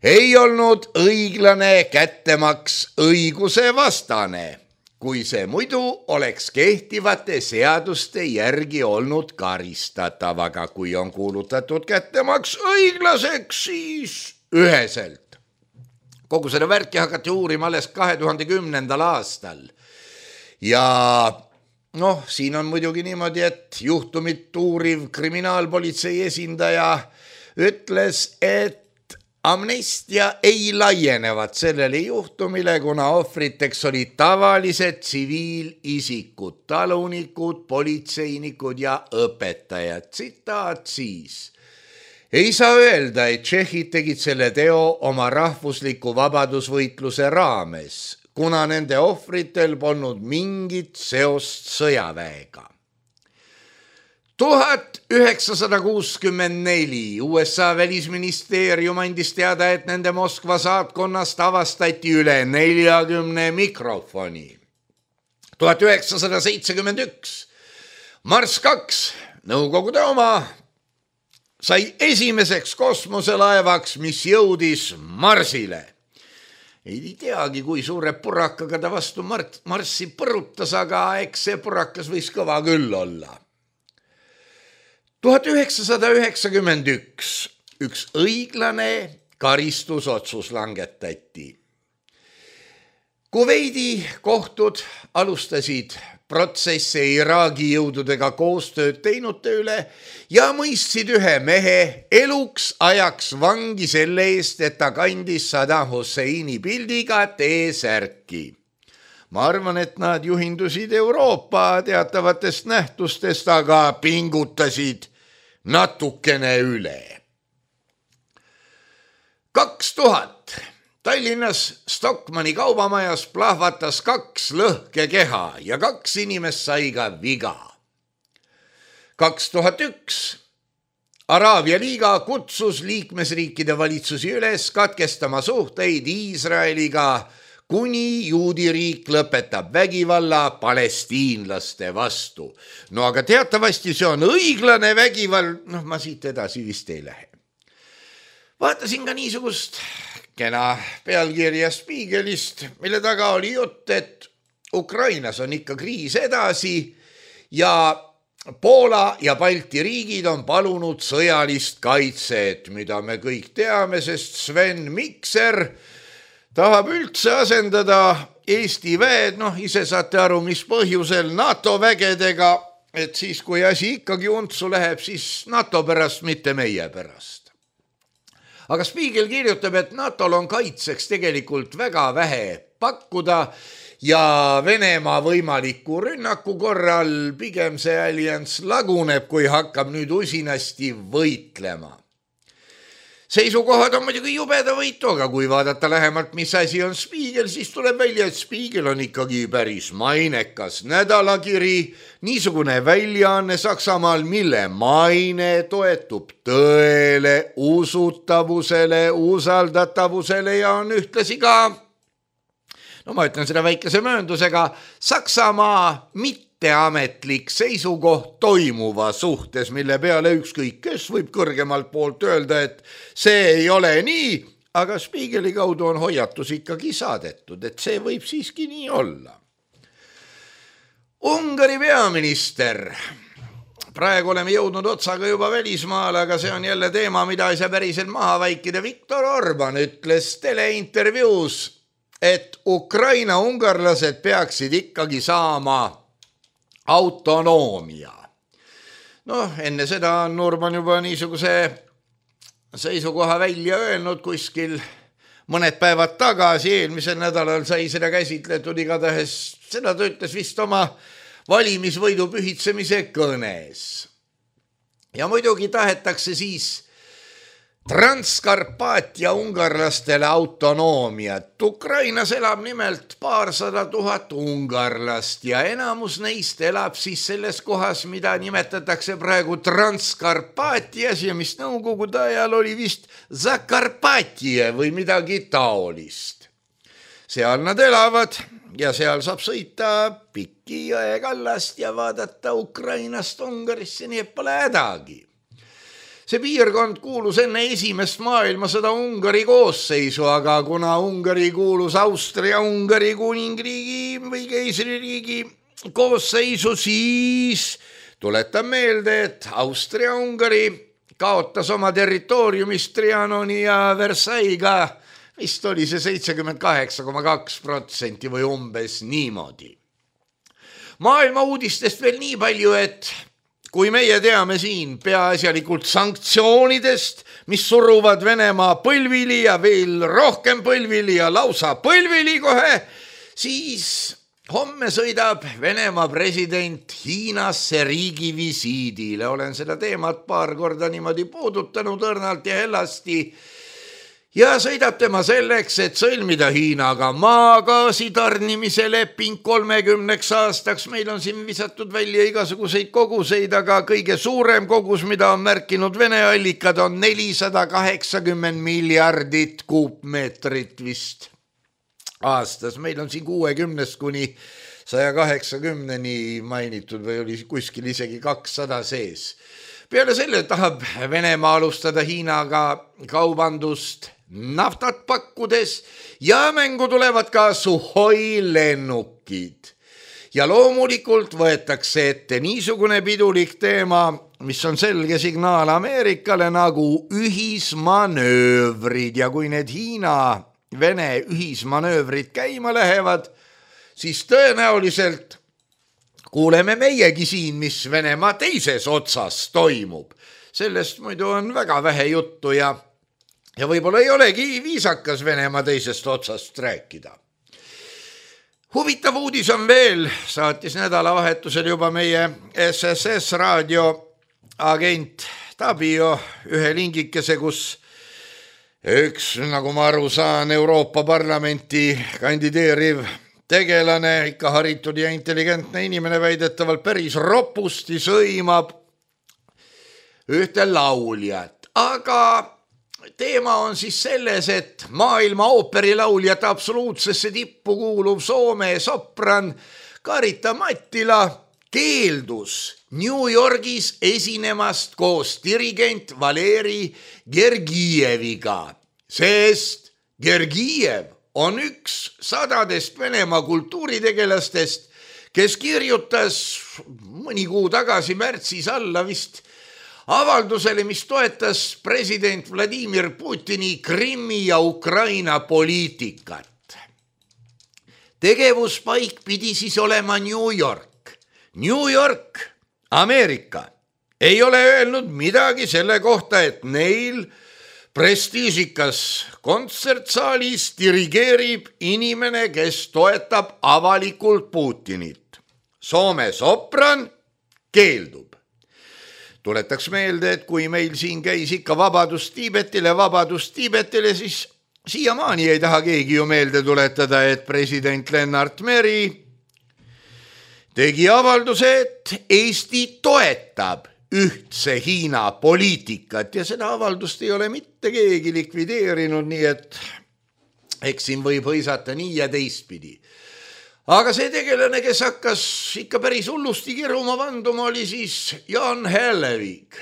S3: ei olnud õiglane kättemaks õiguse vastane, kui see muidu oleks kehtivate seaduste järgi olnud karistatav, aga kui on kuulutatud kättemaks õiglaseks, siis üheselt. Kogu seda värki hakati uurima alles kahe tuhande kümnendal aastal. Ja noh, siin on muidugi niimoodi, et juhtumit uuriv kriminaalpolitsei esindaja ütles, et amnestia ei laienevat sellele juhtumile, kuna ohvriteks olid tavalised tsiviilisikud, talunikud, politseinikud ja õpetajad. Tsitaat siis. Ei saa öelda, et tšehhid tegid selle teo oma rahvusliku vabadusvõitluse raames, kuna nende ohvritel polnud mingit seost sõjaväega. tuhat üheksasada kuuskümmend neli U S A välisministeerium andis teada, et nende Moskva saatkonnast avastati üle neljakümne mikrofoni. tuhat üheksasada seitsekümmend üks Mars kaks, Nõukogude oma, sai esimeseks kosmoselaevaks, mis jõudis Marsile. Ei teagi, kui suure purakaga ta vastu Marssi põrutas, aga eks see purakas võis kõva küll olla. tuhat üheksasada üheksakümmend üks üks õiglane karistusotsus langetati. Kuveidi kohtud alustasid protsesse Iraagi jõududega koostööd teinute üle ja mõistsid ühe mehe eluks ajaks vangi selle eest, et ta kandis Saddam Husseini pildiga T-särki. Ma arvan, et nad juhindusid Euroopa teatavatest nähtustest, aga pingutasid natukene üle. kaks tuhat Tallinnas Stockmanni kaubamajas plahvatas kaks lõhkekeha ja kaks inimest sai ka viga. kaks tuhat üks Araabia liiga kutsus liikmesriikide valitsusi üles katkestama suhteid Iisraeliga, kuni juudi riik lõpetab vägivalla palestiinlaste vastu. No aga teatavasti see on õiglane vägivald, noh ma siit edasi vist ei lähe. Vaatasin ka niisugust kena pealkirja Spiegelist, mille taga oli jutt, et Ukrainas on ikka kriis edasi ja Poola ja Balti riigid on palunud sõjalist kaitset, mida me kõik teame, sest Sven Mikser tahab üldse asendada Eesti väed, noh ise saate aru, mis põhjusel NATO vägedega, et siis kui asi ikkagi untsu läheb, siis NATO pärast, mitte meie pärast. Aga Spiegel kirjutab, et NATOl on kaitseks tegelikult väga vähe pakkuda ja Venemaa võimaliku rünnaku korral pigem see allianss laguneb, kui hakkab nüüd usinasti võitlema. Seisukohad on muidugi jubeda võitu, aga kui vaadata lähemalt, mis asi on Spiegel, siis tuleb välja, et Spiegel on ikkagi päris mainekas nädalakiri, niisugune väljaanne Saksamaal, mille maine toetub tõele, usutavusele, usaldatavusele ja on ühtlasi ka, no ma ütlen seda väikese mööndusega, Saksamaa mitteametlik seisukoht toimuva suhtes, mille peale ükskõik kes võib kõrgemalt poolt öelda, et see ei ole nii, aga Spiegeli kaudu on hoiatus ikkagi saadetud, et see võib siiski nii olla. Ungari peaminister. Praegu oleme jõudnud otsaga juba välismaale, aga see on jälle teema, mida ei saa päriselt maha vaikida. Viktor Orban ütles teleintervjuus, et Ukraina ungarlased peaksid ikkagi saama autonoomia. Noh, enne seda on Orban juba niisuguse seisukoha välja öelnud kuskil mõned päevad tagasi, eelmisel nädalal sai seda käsitletud, igatahes seda ta ütles vist oma valimisvõidu pühitsemise kõnes. Ja muidugi tahetakse siis Transkarpaatia ungarlastele autonoomiat. Ukrainas elab nimelt paarsada tuhat ungarlast ja enamus neist elab siis selles kohas, mida nimetatakse praegu Transkarpaatias ja mis nõukogude ajal oli vist Zakarpaatia või midagi taolist. Seal nad elavad ja seal saab sõita pikki jõekallast ja vaadata Ukrainast Ungarisse, nii et pole hädagi. See piirkond kuulus enne esimest maailmasõda Ungari koosseisu, aga kuna Ungari kuulus Austria-Ungari kuningriigi või keisririigi koosseisu, siis tuletan meelde, et Austria-Ungari kaotas oma territooriumist Trianoni ja Versailles'ga, vist oli see seitsekümmend kaheksa koma kaks protsenti või umbes niimoodi. Maailma uudistest veel nii palju, et kui meie teame siin peaasjalikult sanktsioonidest, mis suruvad Venemaa põlvili ja veel rohkem põlvili ja lausa põlvili kohe, siis homme sõidab Venemaa president Hiinasse riigivisiidile. Olen seda teemat paar korda niimoodi puudutanud õrnalt ja hellasti. Ja sõidab tema selleks, et sõlmida Hiinaga maagaasi tarnimise leping kolmekümneks aastaks. Meil on siin visatud välja igasuguseid koguseid, aga kõige suurem kogus, mida on märkinud Vene allikad, on nelisada kaheksakümmend miljardit kuupmeetrit vist aastas. Meil on siin kuuekümnest kuni saja kaheksakümneni mainitud või oli kuskil isegi kakssada sees. Peale selle tahab Venemaa alustada Hiinaga kaubandust naftat pakkudes ja mängu tulevad ka Suhoi lennukid. Ja loomulikult võetakse ette niisugune pidulik teema, mis on selge signaal Ameerikale nagu ühismanöövrid ja kui need Hiina-Vene ühismanöövrid käima lähevad, siis tõenäoliselt kuuleme meiegi siin, mis Venemaa teises otsas toimub. Sellest muidu on väga vähe juttu ja Ja võib-olla ei olegi viisakas Venemaa teisest otsast rääkida. Huvitav uudis on veel, saatis nädalavahetusel juba meie S S S raadio agent Tabio ühe lingikese, kus üks, nagu ma aru saan, Euroopa Parlamenti kandideeriv tegelane, ikka haritud ja intelligentne inimene väidetavalt päris ropusti sõimab ühte lauljat, aga teema on siis selles, et maailma ooperilauljate absoluutsesse tippu kuuluv Soome sopran Karita Mattila keeldus New Yorgis esinemast koos dirigent Valeri Gergijeviga, sest Gergijev on üks sadadest Venemaa kultuuritegelastest, kes kirjutas mõni kuu tagasi märtsis alla vist avaldusele, mis toetas president Vladimir Putini Krimmi ja Ukraina poliitikat. Tegevuspaik pidi siis olema New York. New York, Ameerika, ei ole öelnud midagi selle kohta, et neil prestiižikas kontsertsaalis dirigeerib inimene, kes toetab avalikult Putinit. Soome sopran keeldub. Tuletaks meelde, et kui meil siin käis ikka vabadus Tiibetile, vabadus Tiibetile, siis siiamaani ei taha keegi ju meelde tuletada, et president Lennart Meri tegi avalduse, et Eesti toetab ühtse Hiina poliitikat ja seda avaldust ei ole mitte keegi likvideerinud, nii et eks siin võib hõisata nii ja teistpidi. Aga see tegelane, kes hakkas ikka päris hullusti kiruma vanduma, oli siis Jan Hellevik.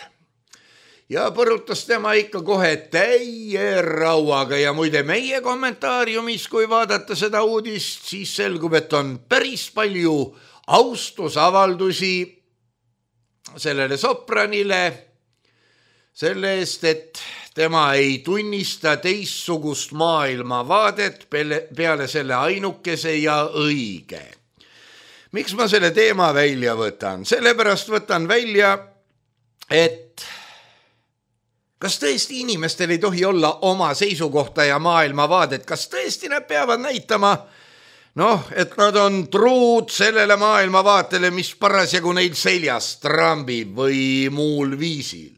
S3: Ja põrutas tema ikka kohe täie rauaga ja muide meie kommentaariumis, kui vaadata seda uudist, siis selgub, et on päris palju austusavaldusi sellele sopranile selle eest, et tema ei tunnista teistsugust maailmavaadet peale selle ainukese ja õige. Miks ma selle teema välja võtan? Sellepärast võtan välja, et kas tõesti inimestel ei tohi olla oma seisukohta ja maailmavaadet? Kas tõesti nad peavad näitama, noh, et nad on truud sellele maailmavaatele, mis parasjagu neil seljas trambib või muul viisil?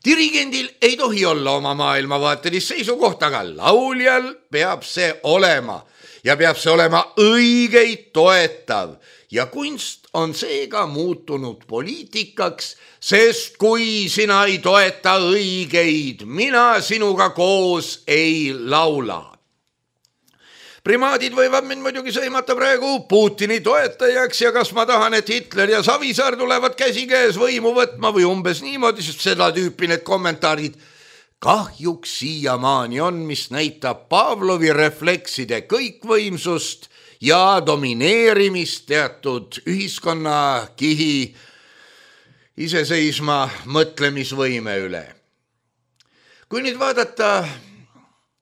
S3: Dirigendil ei tohi olla oma maailmavaatelist seisukohta, aga lauljal peab see olema ja peab see olema õigeid toetav ja kunst on seega muutunud poliitikaks, sest kui sina ei toeta õigeid, mina sinuga koos ei laula. Primaadid võivad mind muidugi sõimata praegu Putini toetajaks ja kas ma tahan, et Hitler ja Savisaar tulevad käsikäes võimu võtma või umbes niimoodi, sest seda tüüpi need kommentaarid kahjuks siiamaani on, mis näitab Pavlovi reflekside kõikvõimsust ja domineerimist teatud ühiskonnakihi iseseisma mõtlemisvõime üle. Kui nüüd vaadata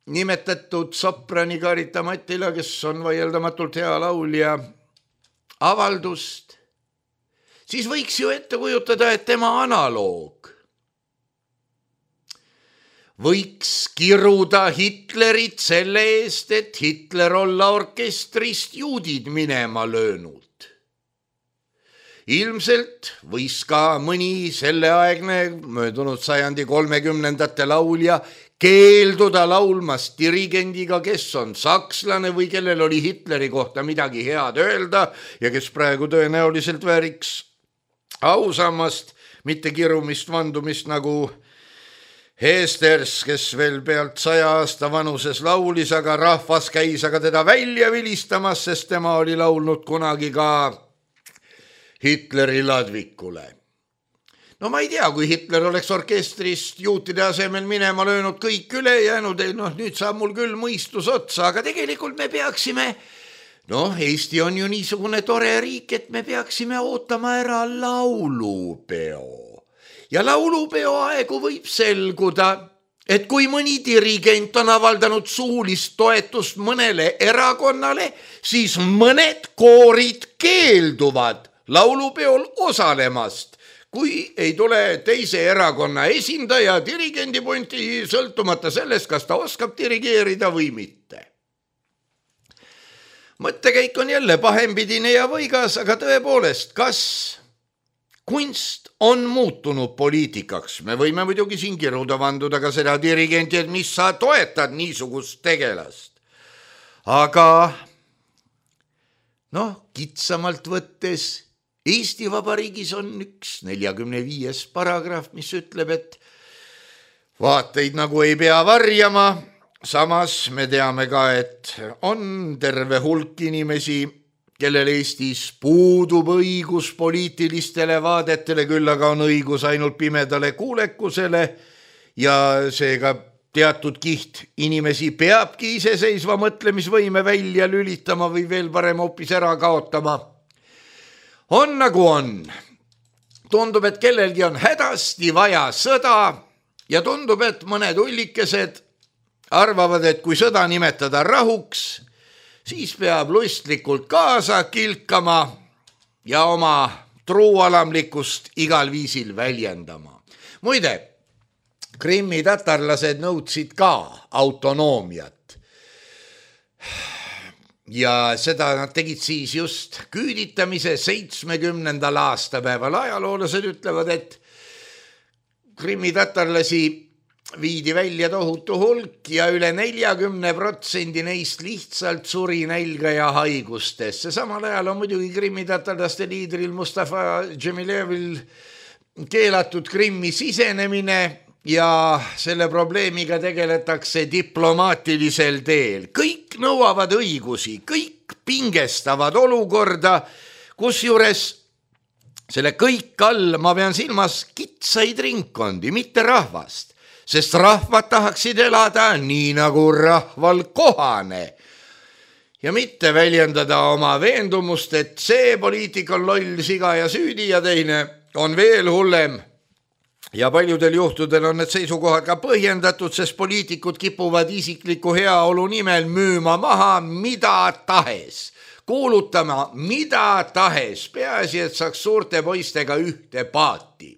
S3: nimetatud soprani Karita Mattila, kes on vaieldamatult hea laulja, avaldust, siis võiks ju ette kujutada, et tema analoog võiks kiruda Hitlerit selle eest, et Hitler olla orkestrist juudid minema löönud. Ilmselt võis ka mõni selleaegne möödunud sajandi kolmekümnendate laulja keelduda laulmast dirigendiga, kes on sakslane või kellel oli Hitleri kohta midagi head öelda ja kes praegu tõenäoliselt vääriks ausamast, mitte kirumist vandumist nagu Heesters, kes veel pealt saja aasta vanuses laulis, aga rahvas käis aga teda välja vilistamas, sest tema oli laulnud kunagi ka Hitleri ladvikule. No ma ei tea, kui Hitler oleks orkestrist juutide asemel minema löönud kõik üle jäänud, noh nüüd saab mul küll mõistus otsa, aga tegelikult me peaksime, noh Eesti on ju niisugune tore riik, et me peaksime ootama ära laulupeo. Ja laulupeo aegu võib selguda, et kui mõni dirigent on avaldanud suulist toetust mõnele erakonnale, siis mõned koorid keelduvad laulupeol osalemast, kui ei tule teise erakonna esindaja dirigendi punti, sõltumata sellest, kas ta oskab dirigeerida või mitte. Mõttekäik on jälle pahempidine ja võigas, aga tõepoolest, kas kunst on muutunud poliitikaks? Me võime muidugi siin kiruda vanduda ka seda dirigenti, et mis sa toetad niisugust tegelast. Aga noh, kitsamalt võttes Eesti Vabariigis on üks neljakümne viies paragrahv, mis ütleb, et vaateid nagu ei pea varjama. Samas me teame ka, et on terve hulk inimesi, kellel Eestis puudub õigus poliitilistele vaadetele, küll aga on õigus ainult pimedale kuulekusele ja seega teatud kiht inimesi peabki iseseisva mõtlemisvõime välja lülitama või veel parem hoopis ära kaotama. On nagu on. Tundub, et kellelgi on hädasti vaja sõda ja tundub, et mõned ullikesed arvavad, et kui sõda nimetada rahuks, siis peab lustlikult kaasa kilkama ja oma truualamlikkust igal viisil väljendama. Muide, Krimmi tatarlased nõudsid ka autonoomiat. Ja seda nad tegid siis just küüditamise seitsmekümnendal aastapäeval. Ajaloolased ütlevad, et Krimmi tatarlasi viidi välja tohutu hulk ja üle neljakümne protsendi neist lihtsalt suri nälga ja haigustesse. Samal ajal on muidugi Krimmi tatarlaste liidril Mustafa Džemilevil keelatud Krimmi sisenemine ja selle probleemiga tegeletakse diplomaatilisel teel. Kõik nõuavad õigusi, kõik pingestavad olukorda, kus juures selle kõik all ma pean silmas kitsaid ringkondi, mitte rahvast, sest rahvad tahaksid elada nii nagu rahval kohane ja mitte väljendada oma veendumust, et see poliitik on loll, siga ja süüdi ja teine on veel hullem. Ja paljudel juhtudel on need seisukohad ka põhjendatud, sest poliitikud kipuvad isikliku heaolu nimel müüma maha mida tahes, kuulutama mida tahes, peaasi, et saaks suurte poistega ühte paati.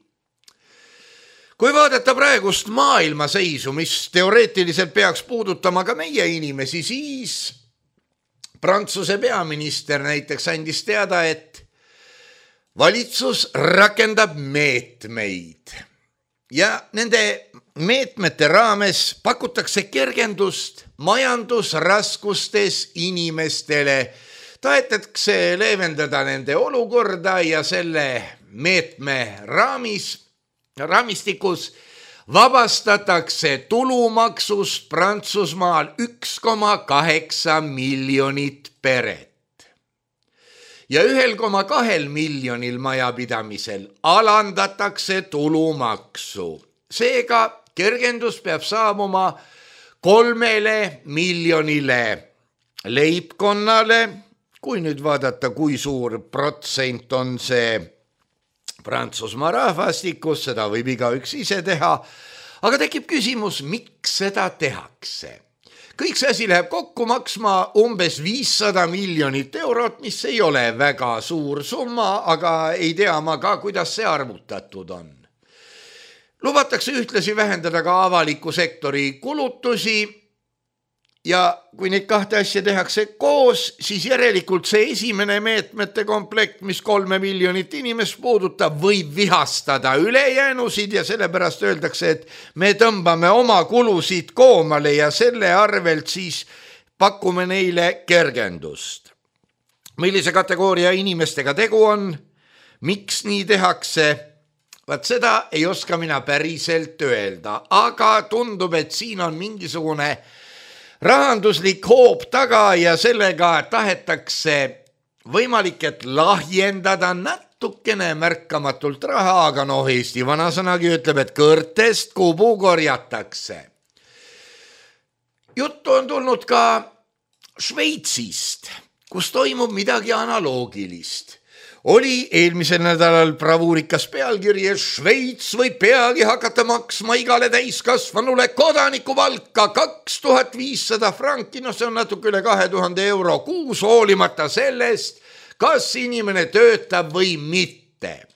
S3: Kui vaadata praegust maailmaseisu, mis teoreetiliselt peaks puudutama ka meie inimesi, siis Prantsuse peaminister näiteks andis teada, et valitsus rakendab meetmeid, ja nende meetmete raames pakutakse kergendust majandusraskustes inimestele. Tahetakse leevendada nende olukorda ja selle meetme raamis, raamistikus vabastatakse tulumaksust Prantsusmaal üks koma kaheksa miljonit peret. Ja üks koma kaks miljonil majapidamisel alandatakse tulumaksu. Seega kergendus peab saabuma kolmele miljonile leibkonnale. Kui nüüd vaadata, kui suur protsent on see Prantsusmaa rahvastikus, seda võib igaüks ise teha, aga tekib küsimus, miks seda tehakse. Kõik see asi läheb kokku maksma umbes viissada miljonit eurot, mis ei ole väga suur summa, aga ei tea ma ka, kuidas see arvutatud on. Lubatakse ühtlasi vähendada ka avaliku sektori kulutusi ja kui neid kahte asja tehakse koos, siis järelikult see esimene meetmete komplekt, mis kolme miljonit inimest puudutab, võib vihastada ülejäänusid ja sellepärast öeldakse, et me tõmbame oma kulusid koomale ja selle arvelt siis pakume neile kergendust. Millise kategooria inimestega tegu on? Miks nii tehakse? Vaat seda ei oska mina päriselt öelda, aga tundub, et siin on mingisugune rahanduslik hoob taga ja sellega tahetakse võimalik, et lahjendada natukene märkamatult raha, aga noh, Eesti vanasõnagi ütleb, et kõrtest kubu korjatakse. Juttu on tulnud ka Šveitsist, kus toimub midagi analoogilist. Oli eelmisel nädalal bravuurikas pealkiri, et Šveits võib peagi hakata maksma igale täiskasvanule kodanikupalka kaks tuhat viissada franki, no see on natuke üle kahe tuhande euro kuus, hoolimata sellest, kas inimene töötab või mitte.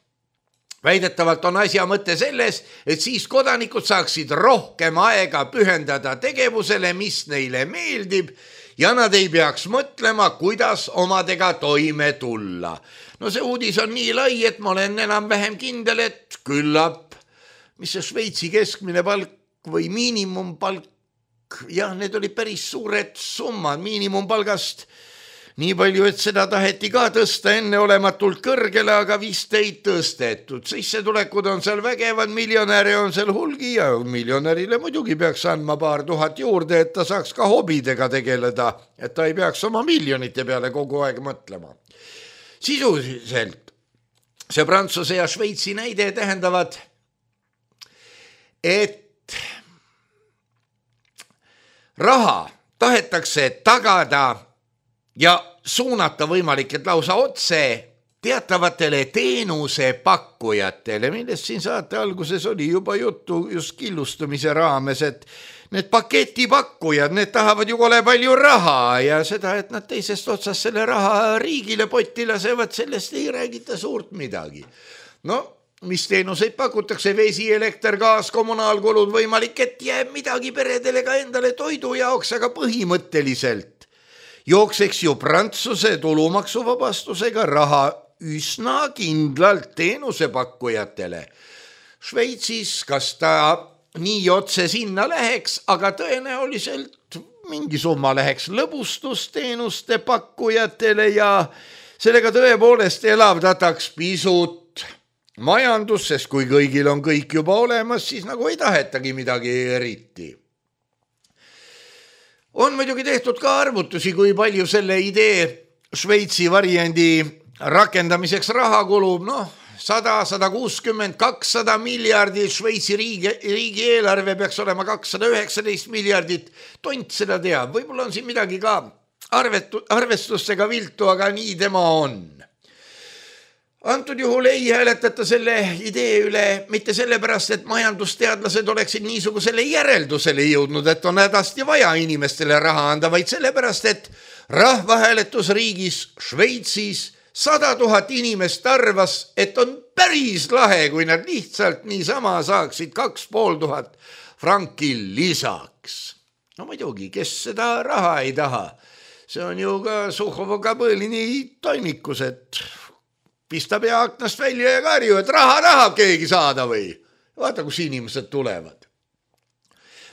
S3: Väidetavalt on asja mõte selles, et siis kodanikud saaksid rohkem aega pühendada tegevusele, mis neile meeldib, ja nad ei peaks mõtlema, kuidas omadega toime tulla. No see uudis on nii lai, et ma olen enam vähem kindel, et küllap, mis see Šveitsi keskmine palk või miinimumpalk, jah, need oli päris suured summad miinimumpalgast, nii palju, et seda taheti ka tõsta enne olematult kõrgele, aga vist ei tõstetud. Sissetulekud on seal vägevad, miljonäre on seal hulgi ja miljonärile muidugi peaks andma paar tuhat juurde, et ta saaks ka hobidega tegeleda, et ta ei peaks oma miljonite peale kogu aeg mõtlema. Sisuliselt see Prantsuse ja Šveitsi näide tähendavad, et raha tahetakse tagada ja suunata võimalik, et lausa otse teatavatele teenusepakkujatele, millest siin saate alguses oli juba juttu just killustumise raames, et need paketipakkujad, need tahavad ju kole palju raha ja seda, et nad teisest otsast selle raha riigile potti lasevad, sellest ei räägita suurt midagi. No, mis teenuseid pakutakse, vesi, elekter, gaas, kommunaalkulud, võimalik, et jääb midagi peredele ka endale toidu jaoks, aga põhimõtteliselt jookseks ju Prantsuse tulumaksuvabastusega raha üsna kindlalt teenusepakkujatele. Šveitsis, kas ta nii otse sinna läheks, aga tõenäoliselt mingi summa läheks lõbustusteenuste pakkujatele ja sellega tõepoolest elavdataks pisut majandus, sest kui kõigil on kõik juba olemas, siis nagu ei tahetagi midagi eriti. On muidugi tehtud ka arvutusi, kui palju selle idee Šveitsi variandi rakendamiseks raha kulub, noh, sada, sada kuuskümmend, kakssada miljardit, Šveitsi riigi, riigi eelarve peaks olema kakssada üheksateist miljardit, tont seda teab, võib-olla on siin midagi ka arvetu, arvestustega viltu, aga nii tema on. Antud juhul ei hääletata selle idee üle mitte sellepärast, et majandusteadlased oleksid niisugusele järeldusele jõudnud, et on hädasti vaja inimestele raha anda, vaid sellepärast, et rahvahääletusriigis Šveitsis sada tuhat inimest arvas, et on päris lahe, kui nad lihtsalt niisama saaksid kaks pool tuhat franki lisaks. No muidugi, kes seda raha ei taha? See on ju ka Suhhovoga põõlini toimikus, et pista pea aknast välja ja karju, et raha tahab keegi saada või? vaata, kus inimesed tulevad.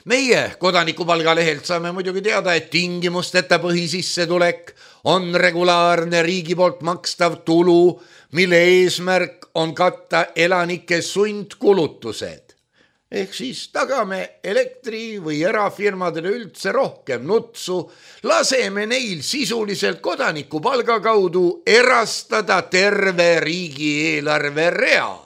S3: Meie kodanikupalga lehelt saame muidugi teada, et tingimusteta põhisissetulek on regulaarne riigi poolt makstav tulu, mille eesmärk on katta elanike sundkulutused. Ehk siis tagame elektri või erafirmadele üldse rohkem nutsu, laseme neil sisuliselt kodanikupalga kaudu erastada terve riigieelarve rea.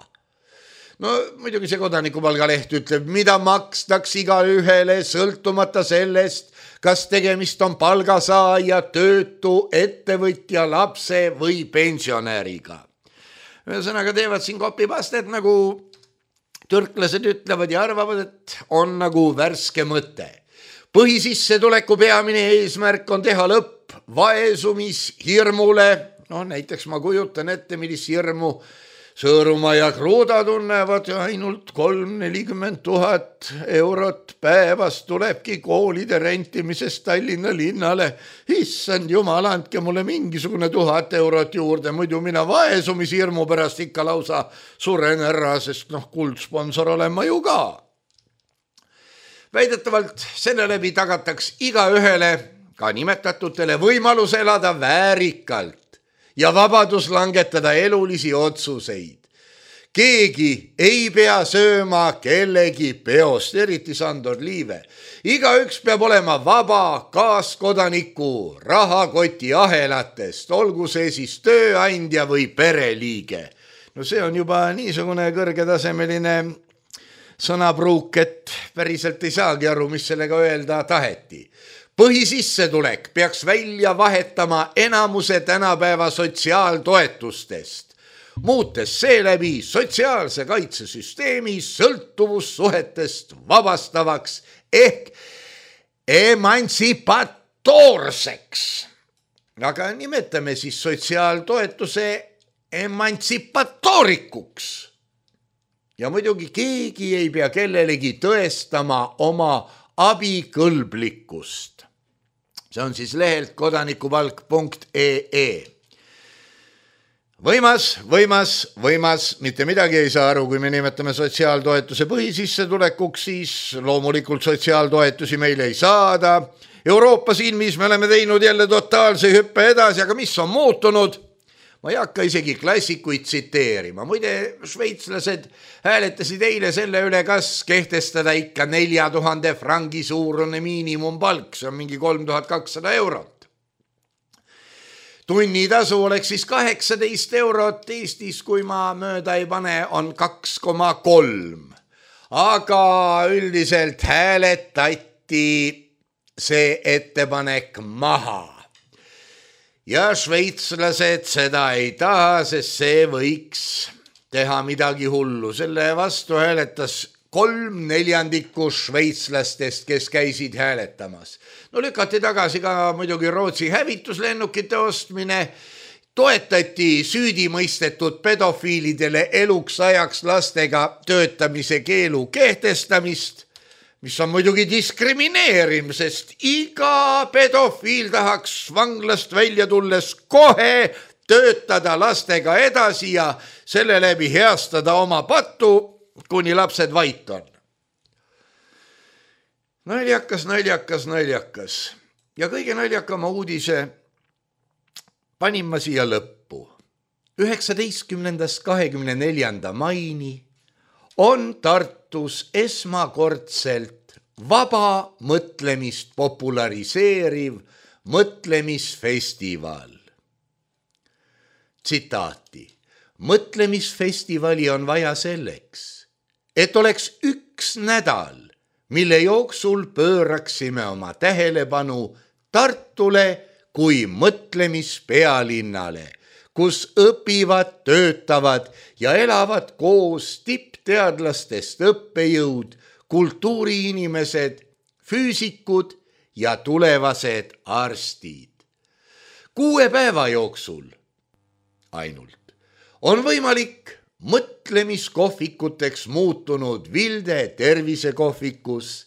S3: No muidugi see kodanikupalga leht ütleb, mida makstaks iga ühele sõltumata sellest, kas tegemist on palgasaaja, töötu, ettevõtja, lapse või pensionäriga. Ühesõnaga teevad siin kopipastet, nagu türklased ütlevad ja arvavad, et on nagu värske mõte. Põhisissetuleku peamine eesmärk on teha lõpp vaesumishirmule. No näiteks ma kujutan ette, millist hirmu Sõõrumaa ja Kruuda tunnevad ja ainult kolm nelikümmend tuhat eurot päevas tulebki koolide rentimisest Tallinna linnale. Issand jumal, andke mulle mingisugune tuhat eurot juurde, muidu mina vaesumishirmu pärast ikka lausa suren ära, sest noh, kuldsponsor olen ma ju ka. Väidetavalt selle läbi tagataks iga ühele, ka nimetatutele, võimalus elada väärikalt ja vabadus langetada elulisi otsuseid. Keegi ei pea sööma kellegi peost, eriti Sandor Liive. Igaüks peab olema vaba kaaskodaniku rahakoti ahelatest, olgu see siis tööandja või pereliige. No see on juba niisugune kõrgetasemeline sõnapruuk, et päriselt ei saagi aru, mis sellega öelda taheti. Põhisissetulek peaks välja vahetama enamuse tänapäeva sotsiaaltoetustest, muutes seeläbi sotsiaalse kaitsesüsteemi sõltuvussuhetest vabastavaks ehk emantsipatoorseks. Aga nimetame siis sotsiaaltoetuse emantsipatoorikuks. Ja muidugi keegi ei pea kellelegi tõestama oma abikõlblikkust. See on siis lehelt kodanikupalk punkt ee. Võimas, võimas, võimas, mitte midagi ei saa aru, kui me nimetame sotsiaaltoetuse põhisissetulekuks, siis loomulikult sotsiaaltoetusi meil ei saada. Euroopa silmis me oleme teinud jälle totaalse hüppe edasi, aga mis on muutunud? Ma ei hakka isegi klassikuid tsiteerima. Muide, šveitslased hääletasid eile selle üle, kas kehtestada ikka nelja tuhande frangi suurune miinimumpalk, see on mingi kolm tuhat kakssada eurot. Tunnitasu oleks siis kaheksateist eurot, Eestis, kui ma mööda ei pane, on kaks koma kolm. Aga üldiselt hääletati see ettepanek maha. Ja šveitslased seda ei taha, sest see võiks teha midagi hullu. Selle vastu hääletas kolm neljandikku šveitslastest, kes käisid hääletamas. No lükati tagasi ka muidugi Rootsi hävituslennukite ostmine, toetati süüdimõistetud pedofiilidele eluks ajaks lastega töötamise keelu kehtestamist, mis on muidugi diskrimineerim, sest iga pedofiil tahaks vanglast välja tulles kohe töötada lastega edasi ja selle läbi heastada oma pattu, kuni lapsed vait on. Naljakas, naljakas, naljakas. Ja kõige naljakama uudise panin ma siia lõppu. üheksateistkümnendast kahekümne neljanda maini on Tartus esmakordselt vaba mõtlemist populariseeriv mõtlemisfestival. Tsitaati. Mõtlemisfestivali on vaja selleks, et oleks üks nädal, mille jooksul pööraksime oma tähelepanu Tartule kui mõtlemispealinnale, kus õpivad, töötavad ja elavad koos tippteadlastest õppejõud, kultuuriinimesed, füüsikud ja tulevased arstid. Kuue päeva jooksul ainult on võimalik mõtlemiskohvikuteks muutunud Vilde tervisekohvikus,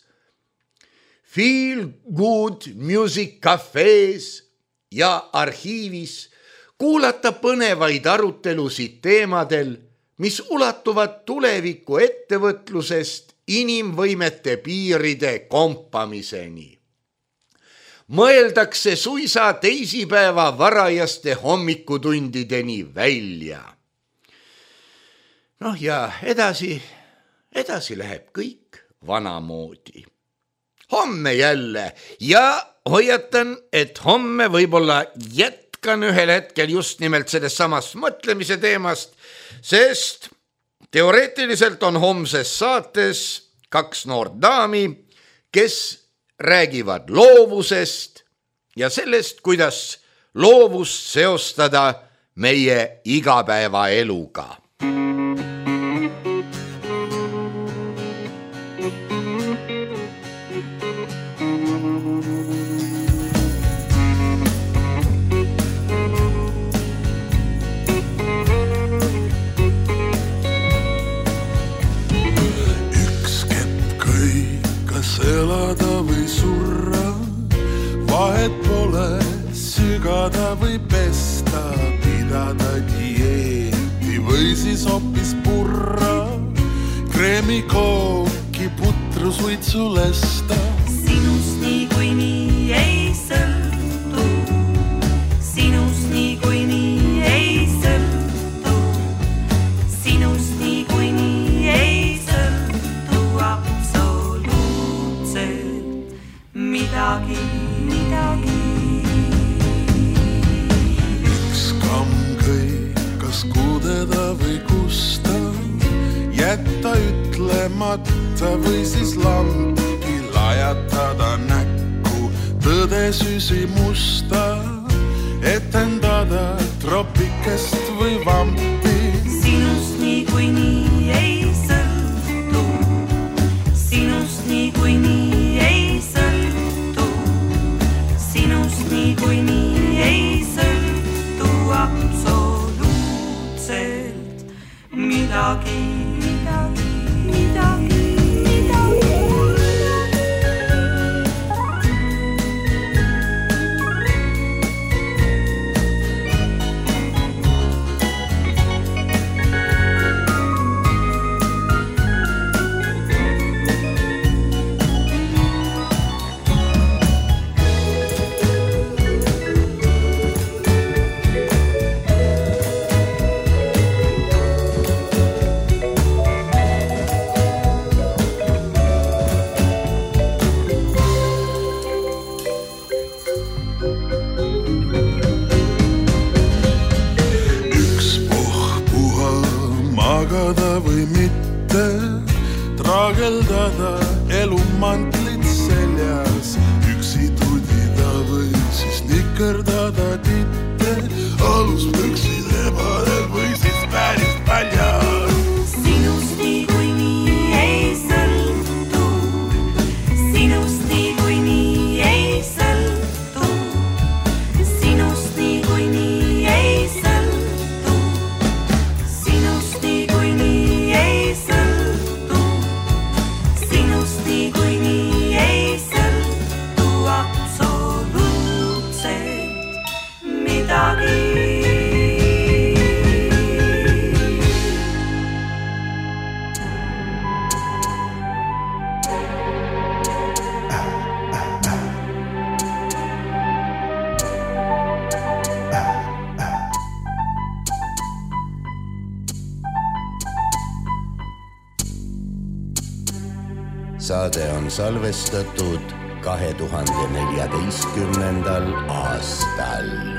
S3: Feel Good Music Cafe's ja arhiivis kuulata põnevaid arutelusid teemadel, mis ulatuvad tuleviku ettevõtlusest inimvõimete piiride kompamiseni. Mõeldakse suisa teisipäeva varajaste hommikutundideni välja. Noh ja edasi, edasi läheb kõik vanamoodi. Homme jälle ja hoiatan, et homme võib-olla jätkan ühel hetkel just nimelt sellest samast mõtlemise teemast, sest teoreetiliselt on homses saates kaks noort daami, kes räägivad loovusest ja sellest, kuidas loovust seostada meie igapäevaeluga.
S4: Elada või surra, vahet pole sügada või pesta, pidada dieeti või siis hoopis purra, kreemi kooki, putru suitsu lesta.
S5: Sinust nii kui nii ei sõltu, sinust nii kui nii ei sõltu, sinust nii kui nii ei sõltu midagi, midagi.
S4: Üks kamm kõik, kas kudeda või kusta, jätta ütlemata või siis lampi lajatada näkku, tõde süsi musta, etendada tropikest või vampi.
S5: Sinust nii kui nii ei sõltu, sinust nii kui nii ei sõltu, sinust nii kui nii ei sõltu absoluutselt midagi, midagi, midagi, midagi. Või mitte traageldada elumantlit seljas, üksi tudida või siis nikerdada titte, aluspüksid ebadel või siis päris paljas. Sinust nii kui nii ei sõltu, sinust nii kui nii ei sõltu, sinust nii kui nii ei sõltu, sinust nii kui nii
S2: Saade on salvestatud kahe tuhande neljateistkümnendal aastal.